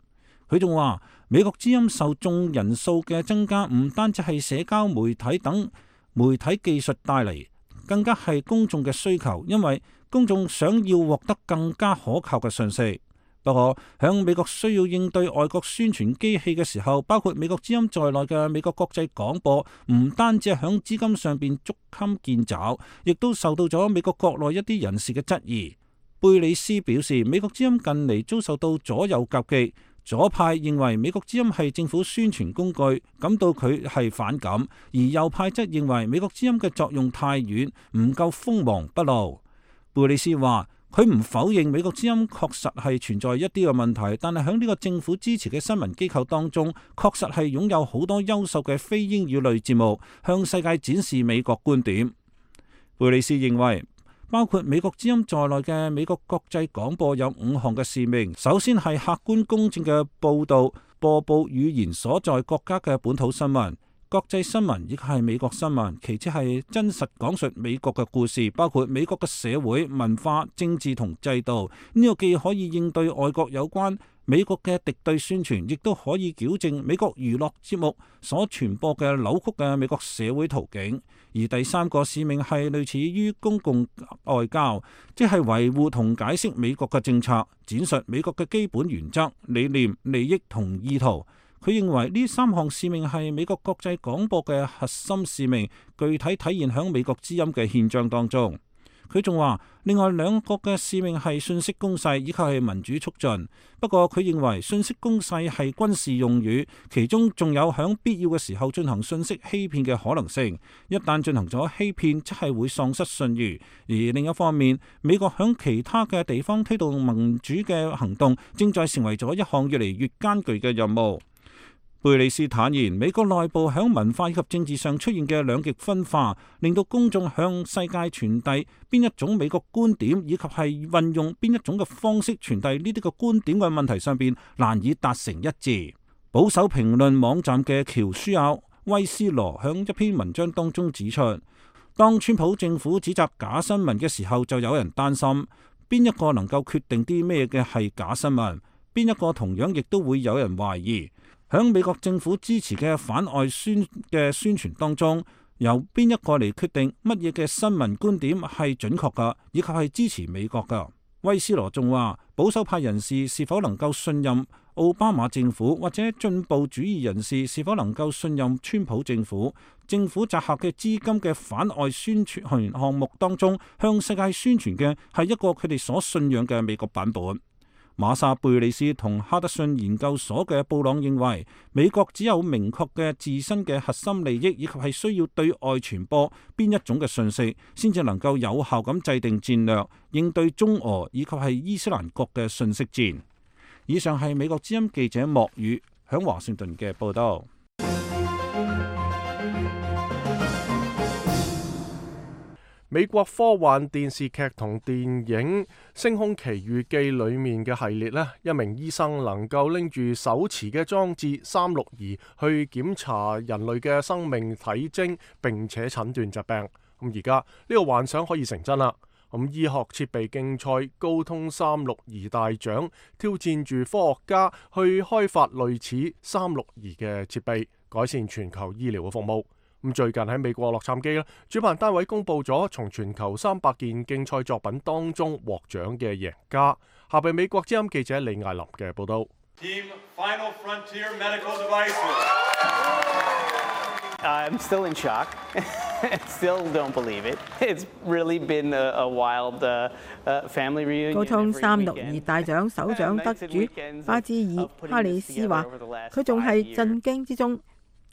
佢仲話，美國之音受眾人數嘅增加，唔單止係社交媒體等媒體技術帶嚟，更加係公眾嘅需求，因為公眾想要獲得更加可靠嘅信息。不過，響美國需要應對外國宣傳機器嘅時候，包括美國之音在內嘅美國國際廣播，唔單止係響資金上邊捉襟見肘，亦都受到咗美國國內一啲人士嘅質疑。貝里斯表示，美國之音近嚟遭受到左右夾擊。左派認為美國之音係政府宣傳工具，感到佢係反感；而右派則認為美國之音嘅作用太遠，唔夠鋒芒不露。貝里斯話：佢唔否認美國之音確實係存在一啲嘅問題，但係喺呢個政府支持嘅新聞機構當中，確實係擁有好多優秀嘅非英語類節目，向世界展示美國觀點。貝里斯認為，包括美國之音在內嘅美國國際廣播有五項嘅使命。首先係客觀公正嘅報導，播報語言所在國家嘅本土新聞、國際新聞，亦係美國新聞。其次係真實講述美國嘅故事，包括美國嘅社會、文化、政治同制度。呢個既可以應對外國有關美國嘅敵對宣傳，亦都可以矯正美國娛樂節目所傳播嘅扭曲嘅美國社會途徑。而第三個使命係類似於公共外交，即係維護同解釋美國嘅政策，展述美國嘅基本原則、理念、利益同意圖。佢認為呢三項使命係美國國際廣播嘅核心使命，具體體現喺美國之音嘅憲章當中。佢仲話，另外兩個嘅使命係信息攻勢以及係民主促進。不過佢認為信息攻勢係軍事用語，其中仲有響必要嘅時候進行信息欺騙嘅可能性。一旦進行咗欺騙，即係會喪失信譽。而另一方面，美國響其他嘅地方推動民主嘅行動，正在成為咗一項越嚟越艱巨嘅任務。貝里斯坦言，美國內部響文化以及政治上出現嘅兩極分化，令到公眾向世界傳遞邊一種美國觀點，以及係運用邊一種嘅方式傳遞呢啲嘅觀點嘅問題上邊難以達成一致。保守評論網站嘅喬舒亞威斯羅響一篇文章當中指出，當川普政府指責假新聞嘅時候，就有人擔心邊一個能夠決定啲咩嘅係假新聞，邊一個同樣亦都會有人懷疑。響美國政府支持嘅反外宣嘅宣傳當中，由邊一個嚟決定乜嘢嘅新聞觀點係準確噶，以及係支持美國噶？威斯羅仲話，保守派人士是否能夠信任奧巴馬政府，或者進步主義人士是否能夠信任川普政府？政府集合嘅資金嘅反外宣傳項目當中，向世界宣傳嘅係一個佢哋所信仰嘅美國版本。馬薩貝利斯同哈德遜研究所嘅布朗認為，美國只有明確嘅自身嘅核心利益，以及係需要對外傳播邊一種嘅信息，先至能夠有效咁制定戰略，應對中俄以及係伊斯蘭國嘅信息戰。以上係美國之音記者莫宇響華盛頓嘅報道。美國科幻電視劇同電影《星空奇遇記》裏面嘅系列呢，一名醫生能夠拎住手持嘅裝置三六儀去檢查人類嘅生命體徵，並且診斷疾病。咁而家呢個幻想可以成真啦。咁醫學設備競賽高通三六儀大獎挑戰住科學家去開發類似三六儀嘅設備，改善全球醫療嘅服務。咁最近喺美國洛杉磯咧，主辦單位公布咗從全球三百件競賽作品當中獲獎嘅贏家。下邊美國之音記者李艾琳嘅報道。Team Final Frontier Medical Devices. I'm still in shock. Still don't believe it. It's really been a, a wild uh, uh, family reunion. 高通三六儀大獎首獎得主巴茲爾哈里斯話：佢仲係震驚之中。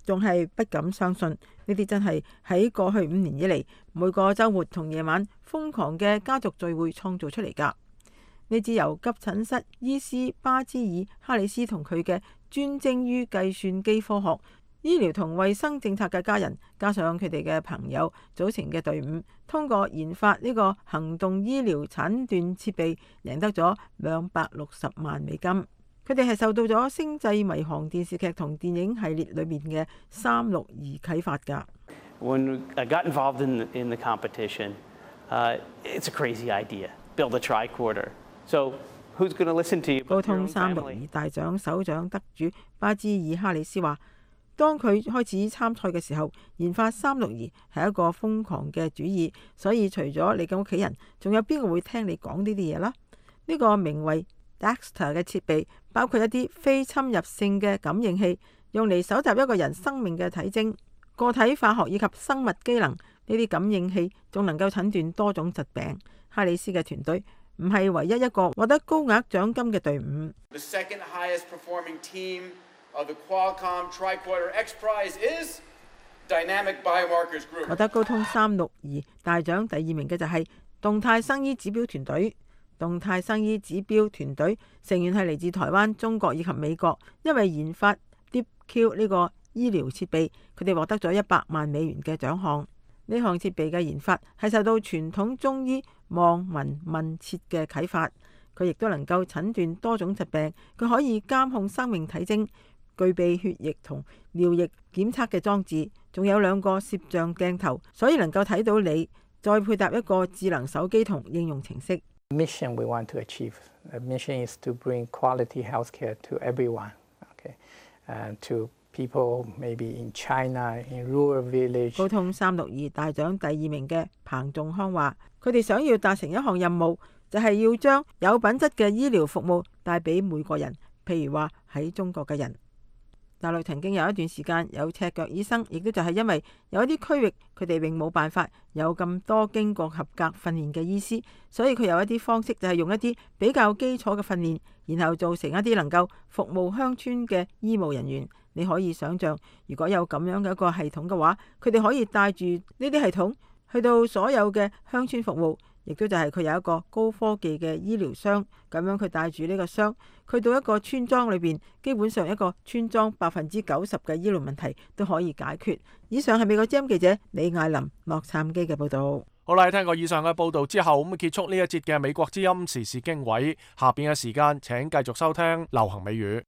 仲係不敢相信，呢啲真係喺過去五年以嚟每個週末同夜晚瘋狂嘅家族聚會創造出嚟㗎。呢支由急診室醫師巴茲爾哈里斯同佢嘅專精於計算機科學、醫療同衛生政策嘅家人，加上佢哋嘅朋友組成嘅隊伍，通過研發呢個行動醫療診斷設備，贏得咗兩百六十萬美金。佢哋係受到咗《星際迷航》電視劇同電影系列裏面嘅三六儀啟發㗎。When I got involved in the, in the competition, uh, it's a crazy idea. Build a tricorder. So who's going to listen to you? 高通三六儀大獎首獎得主巴茲爾哈里斯話：當佢開始參賽嘅時候，研發三六儀係一個瘋狂嘅主意，所以除咗你嘅屋企人，仲有邊個會聽你講呢啲嘢啦？呢個名為Dexter 嘅設備包括一啲非侵入性嘅感應器，用嚟搜集一個人生命嘅體徵、個體化學以及生物機能。呢啲感應器仲能夠診斷多種疾病。哈里斯嘅團隊唔係唯一一個獲得高額獎金嘅隊伍。The second highest performing team of the Qualcomm Tricorder X Prize is Dynamic Biomarkers Group。獲得高通三六儀大獎第二名嘅就係動態生醫指標團隊。動態生醫指標團隊成員係嚟自台灣、中國以及美國，因為研發 DeepQ 呢個醫療設備，佢哋獲得咗一百萬美元嘅獎項。呢項設備嘅研發係受到傳統中醫望聞問切嘅啟發，佢亦都能夠診斷多種疾病，佢可以監控生命體徵，具備血液同尿液檢測嘅裝置，仲有兩個攝像鏡頭，所以能夠睇到你，再配搭一個智能手機同應用程式。Mission we want to achieve. The mission is to bring quality healthcare to everyone. Okay, and to people maybe in China, in rural village. 高通三六儀大獎第二名嘅彭仲康話：佢哋想要達成一項任務，就係要將有品質嘅醫療服務帶俾每個人。譬如話喺中國嘅人。大陸曾經有一段時間有赤腳醫生，亦都就係因為有一啲區域佢哋並冇辦法有咁多經過合格訓練嘅醫師，所以佢有一啲方式就係用一啲比較基礎嘅訓練，然後做成一啲能夠服務鄉村嘅醫務人員。你可以想象，如果有咁樣嘅一個系統嘅話，佢哋可以帶住呢啲系統去到所有嘅鄉村服務，亦都就係佢有一個高科技嘅醫療箱，咁樣佢帶住呢個箱去到一個村莊裏邊，基本上一個村莊百分之九十嘅醫療問題都可以解決。以上係美國之音記者李艾琳洛杉磯嘅報道。好啦，聽過以上嘅報道之後，咁結束呢一節嘅美國之音時事經緯。下邊嘅時間請繼續收聽流行美語。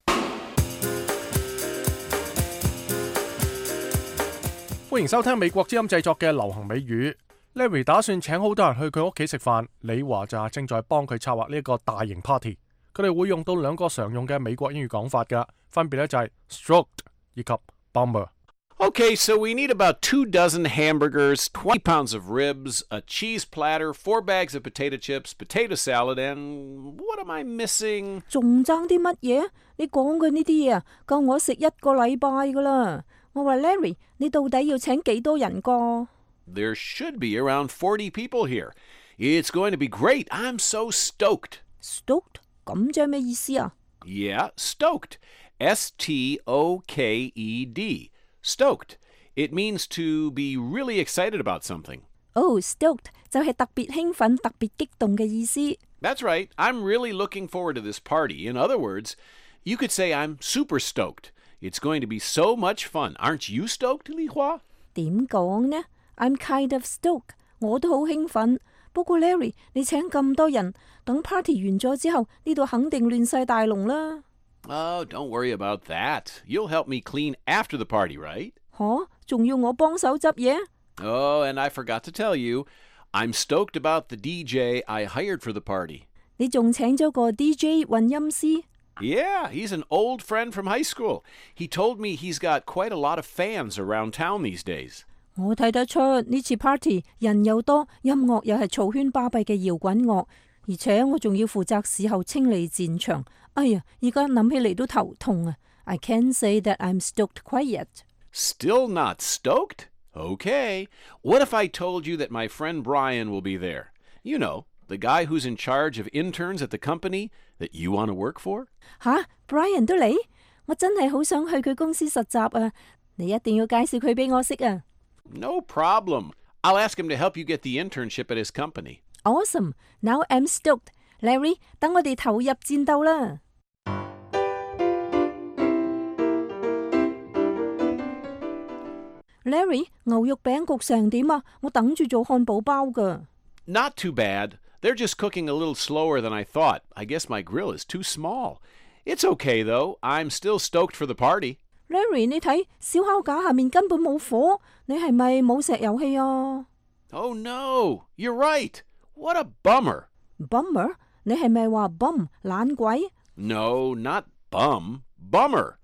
歡迎收聽美國之音製作嘅流行美語。Larry 打算請好多人去佢屋企食飯，李華就正在幫佢策劃呢一個大型 party。佢哋會用到兩個常用嘅美國英語講法㗎，分別咧就係 stroked 以及 bummer。Okay, so we need about two dozen hamburgers, twenty pounds of ribs, a cheese platter, four bags of potato chips, potato salad, and what am I missing? 仲爭啲乜嘢？你講嘅呢啲嘢啊，夠我食一個禮拜噶啦。我話 Larry， 你到底要請幾多人個？There should be around forty people here. It's going to be great. I'm so stoked. Stoked? 咁即係咩意思啊？ Yeah, stoked. S T O K E D. Stoked. It means to be really excited about something. Oh, stoked 就係特別興奮、特別激動嘅意思。That's right. I'm really looking forward to this party. In other words, you could say I'm super stoked. It's going to be so much fun. Aren't you stoked, Li Hua? 點講呢？I'm kind of stoked. 我都好興奮。不過 Larry， 你請咁多人，等 party 完咗之後，呢度肯定亂晒大龍啦。Oh, don't worry about that. You'll help me clean after the party, right? 吓，仲要我幫手執嘢？ Oh, and I forgot to tell you, I'm stoked about the D J I hired for the party. 你仲請咗個 D J 混音師？ Yeah, he's an old friend from high school. He told me he's got quite a lot of fans around town these days. 我睇得出呢次 party 人又多，音樂又係嘈喧巴閉嘅搖滾樂，而且我仲要負責事後清理戰場。哎呀，而家諗起嚟都頭痛啊 ！I can't say that I'm stoked quite yet. Still not stoked? Okay. What if I told you that my friend Brian will be there? You know, the guy who's in charge of interns at the company that you want to work for? 吓 ，Brian 都嚟？我真係好想去佢公司實習啊！你一定要介紹佢俾我識啊！ No problem. I'll ask him to help you get the internship at his company. Awesome. Now I'm stoked. Larry, 等我哋投入戰鬥啦！ Larry， 牛肉餅焗成點啊？我等住做漢堡包㗎。 Not too bad. They're just cooking a little slower than I thought. I guess my grill is too small. It's okay though. I'm still stoked for the party. Larry， 你睇燒烤架下面根本冇火，你係咪冇石油氣啊？ Oh no, you're right. What a bummer. Bummer？ 你係咪話 bum 懶鬼？ No, not bum. Bummer.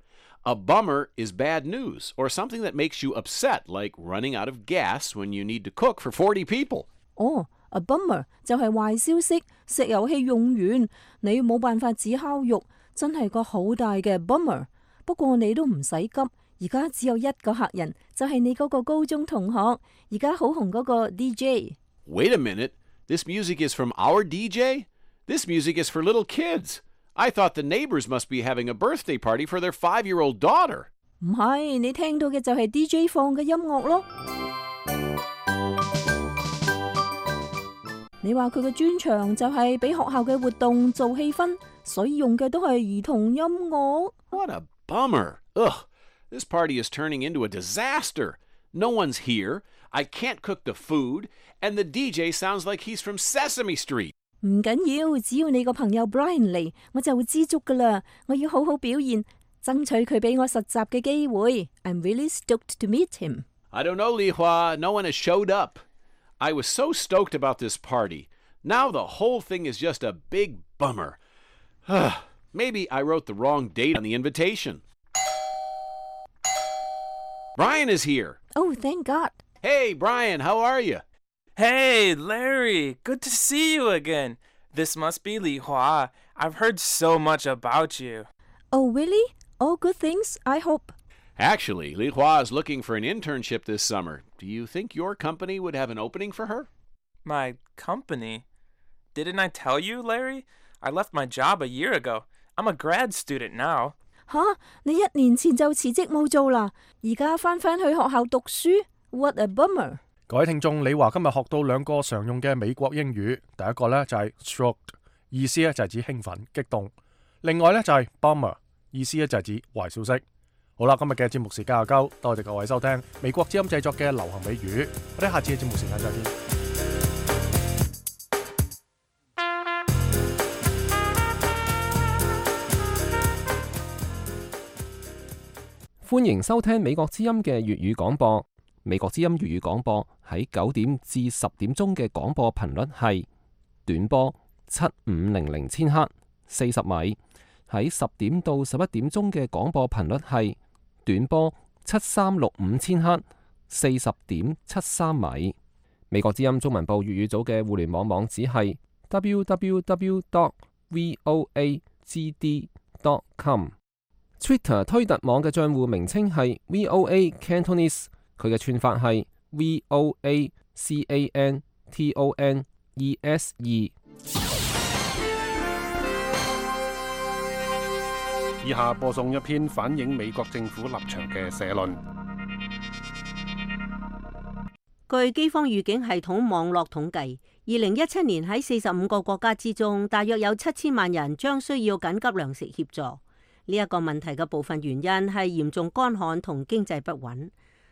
A bummer is bad news or something that makes you upset, like running out of gas when you need to cook for forty people. 哦、oh, a bummer 就係壞消息，石油氣用完，你冇辦法煮烤肉，真係個好大嘅 bummer。不過你都唔使急，而家只有一個客人，就係你嗰個高中同學，而家好紅嗰個 D J。 Wait a minute. This music is from our D J? This music is for little kids. I thought the neighbors must be having a birthday party for their five-year-old daughter. 唔係，你聽到嘅就係 D J 放嘅音樂咯。你話佢嘅專長就係俾學校嘅活動做氣氛，所以用嘅都係兒童音樂。 What a bummer. Ugh, this party is turning into a disaster. No one's here. I can't cook the food, and the D J sounds like he's from Sesame Street. 唔緊要，只要你個朋友 Brian 嚟，我就會知足噶啦。我要好好表現，爭取佢俾我實習嘅機會。I'm really stoked to meet him. I don't know, Li Hua. No one has showed up. I was so stoked about this party. Now the whole thing is just a big bummer. Maybe I wrote the wrong date on the invitation. Brian is here. Oh, thank God. Hey, Brian, how are you? Hey, Larry. Good to see you again. This must be Li Hua. I've heard so much about you. Oh, really? All good things, I hope. Actually, Li Hua is looking for an internship this summer. Do you think your company would have an opening for her? My company? Didn't I tell you, Larry? I left my job a year ago. I'm a grad student now. 吓，你一年前就辭職冇做啦，而家翻返去學校讀書 ？What a bummer！ 各位聽眾，李華今日學到兩個常用嘅美國英語，第一個呢就係 stoked， 意思呢就係指興奮、激動；另外呢就係 bummer， 意思呢就係指壞消息。好啦，今日嘅節目時間又夠，多謝各位收聽美國之音製作嘅流行美語，我哋下次嘅節目時間再見。歡迎收聽美國之音嘅粵語廣播。美國之音粵語廣播喺九點至十點鐘嘅廣播頻率係短波七五零零千赫四十米，喺十點到十一點鐘嘅廣播頻率係短波七三六五千赫四十點七三米。美國之音中文部粵語組嘅互聯網網址係 double-u double-u double-u dot voa g d dot com。Twitter 推特網嘅帳戶名稱係 V O A Cantonese， 佢嘅串法係 V O A C A N T O N E S E。以下播送一篇反映美國政府立場嘅社論。據饑荒預警系統網絡統計，二零一七年喺四十五個國家之中，大約有七千萬人將需要緊急糧食協助。呢一個問題嘅部分原因係嚴重乾旱同經濟不穩，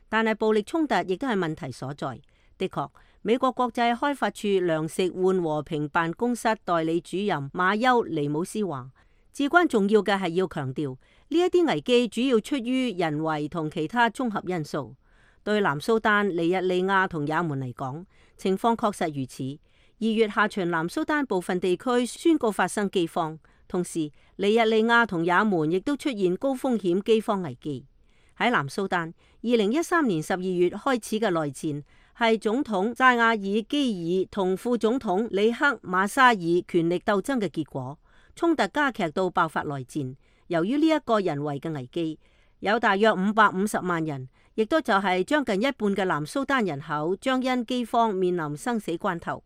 但係暴力衝突亦都係問題所在。的確，美國國際開發處糧食換和平辦公室代理主任馬丘尼姆斯話，至關重要嘅係要強調呢一啲危機主要出於人為同其他綜合因素。對南蘇丹、尼日利亞同也門嚟講，情況確實如此。二月下旬，南蘇丹部分地區宣告發生饑荒，同時尼日利亞同也門亦都出現高風險饑荒危機。喺南蘇丹，二零一三年十二月開始嘅內戰係總統扎亞爾基爾同副總統里克馬沙爾權力鬥爭嘅結果，衝突加劇到爆發內戰。由於呢一個人為嘅危機，有大約五百五十萬人，亦都就係將近一半嘅南蘇丹人口將因饑荒面臨生死關頭。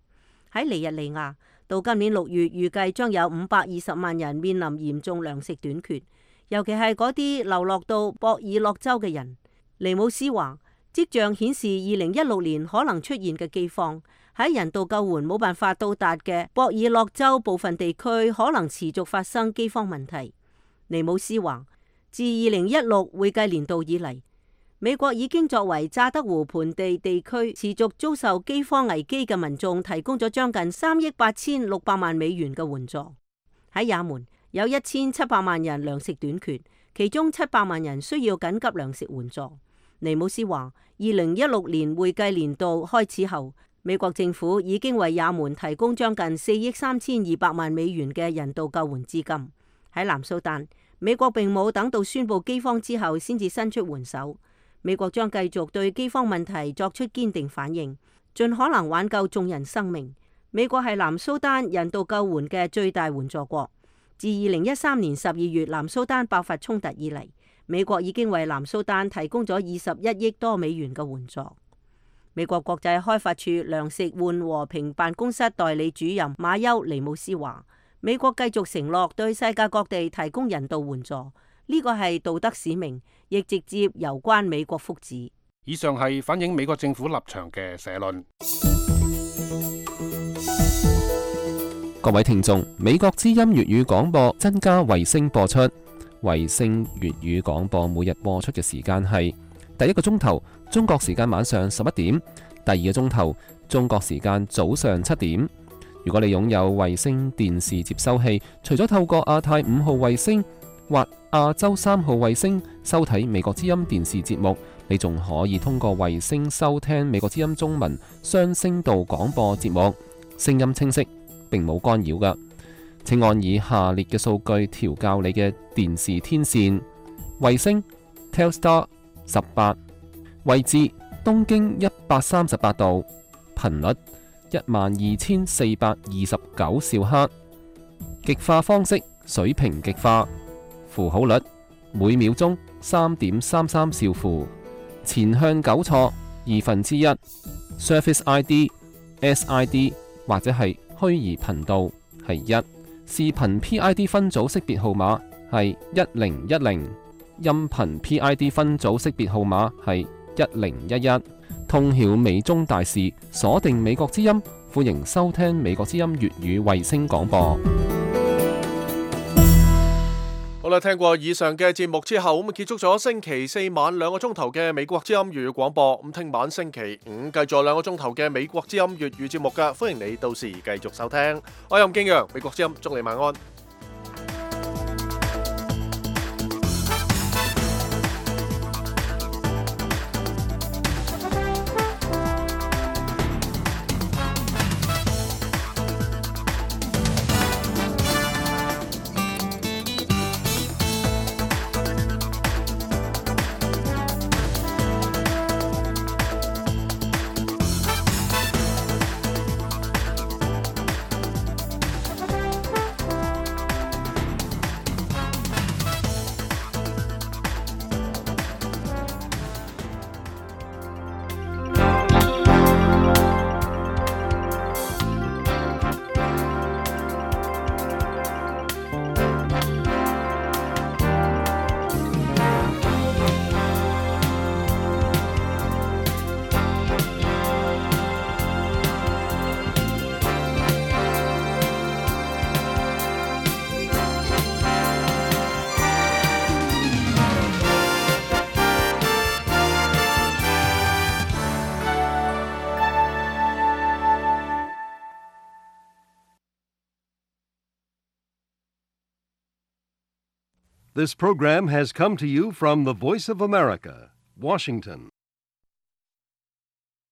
喺尼日利亞，到今年六月預計將有五百二十萬人面臨嚴重糧食短缺，尤其係嗰啲流落到博爾諾州嘅人。尼姆斯話，跡象顯示二零一六年可能出現嘅饑荒喺人道救援冇辦法到達嘅博爾諾州部分地區可能持續發生饑荒問題。尼姆斯話，自二零一六會計年度以嚟，美國已經作為乍得湖盆地地區持續遭受饑荒危機嘅民眾提供咗將近三億八千六百萬美元嘅援助。喺也門有一千七百萬人糧食短缺，其中七百萬人需要緊急糧食援助。尼姆斯話，二零一六年會計年度開始後，美國政府已經為也門提供將近四億三千二百萬美元嘅人道救援資金。喺南蘇丹，美國並冇等到宣布饑荒之後先至伸出援手。美國將繼續對饑荒問題作出堅定反應，盡可能挽救眾人生命。美國係南蘇丹人道救援嘅最大援助國。自二零一三年十二月南蘇丹爆發衝突以嚟，美國已經為南蘇丹提供咗二十一億多美元嘅援助。美國國際開發處糧食換和平辦公室代理主任馬丘尼姆斯話，美國繼續承諾對世界各地提供人道援助，呢個係道德使命，亦直接攸關美國福祉。以上係反映美國政府立場嘅社論。各位聽眾，美國之音粵語廣播增加衛星播出，衛星粵語廣播每日播出嘅時間係第一個鐘頭中國時間晚上十一點，第二個鐘頭中國時間早上七點。如果你擁有衛星電視接收器，除咗透過亞太五號衛星或亞洲三號衛星收睇美國之音電視節目，你仲可以通過衛星收聽美國之音中文雙聲道廣播節目，聲音清晰，並冇干擾㗎。請按以下列嘅數據調校你嘅電視天線：衛星 Telstar 十八，位置東經一百三十八度，頻率一萬二千四百二十九兆赫，極化方式水平極化，符號率每秒鐘三點三三兆符，前向糾錯二分之一 ，Service I D S I D 或者係虛擬頻道係一，視頻 P I D 分組識別號碼係一零一零，音頻 P I D 分組識別號碼係一零一一。通曉美中大事，鎖定美國之音，歡迎收聽美國之音粵語衛星廣播。好啦，聽過以上嘅節目之後，咁結束咗星期四晚兩個鐘頭嘅美國之音粵語廣播。咁聽晚星期五繼續兩個鐘頭嘅美國之音粵語節目㗎，歡迎你到時繼續收聽。我係任敬陽，美國之音，祝你晚安。This program has come to you from the Voice of America, Washington.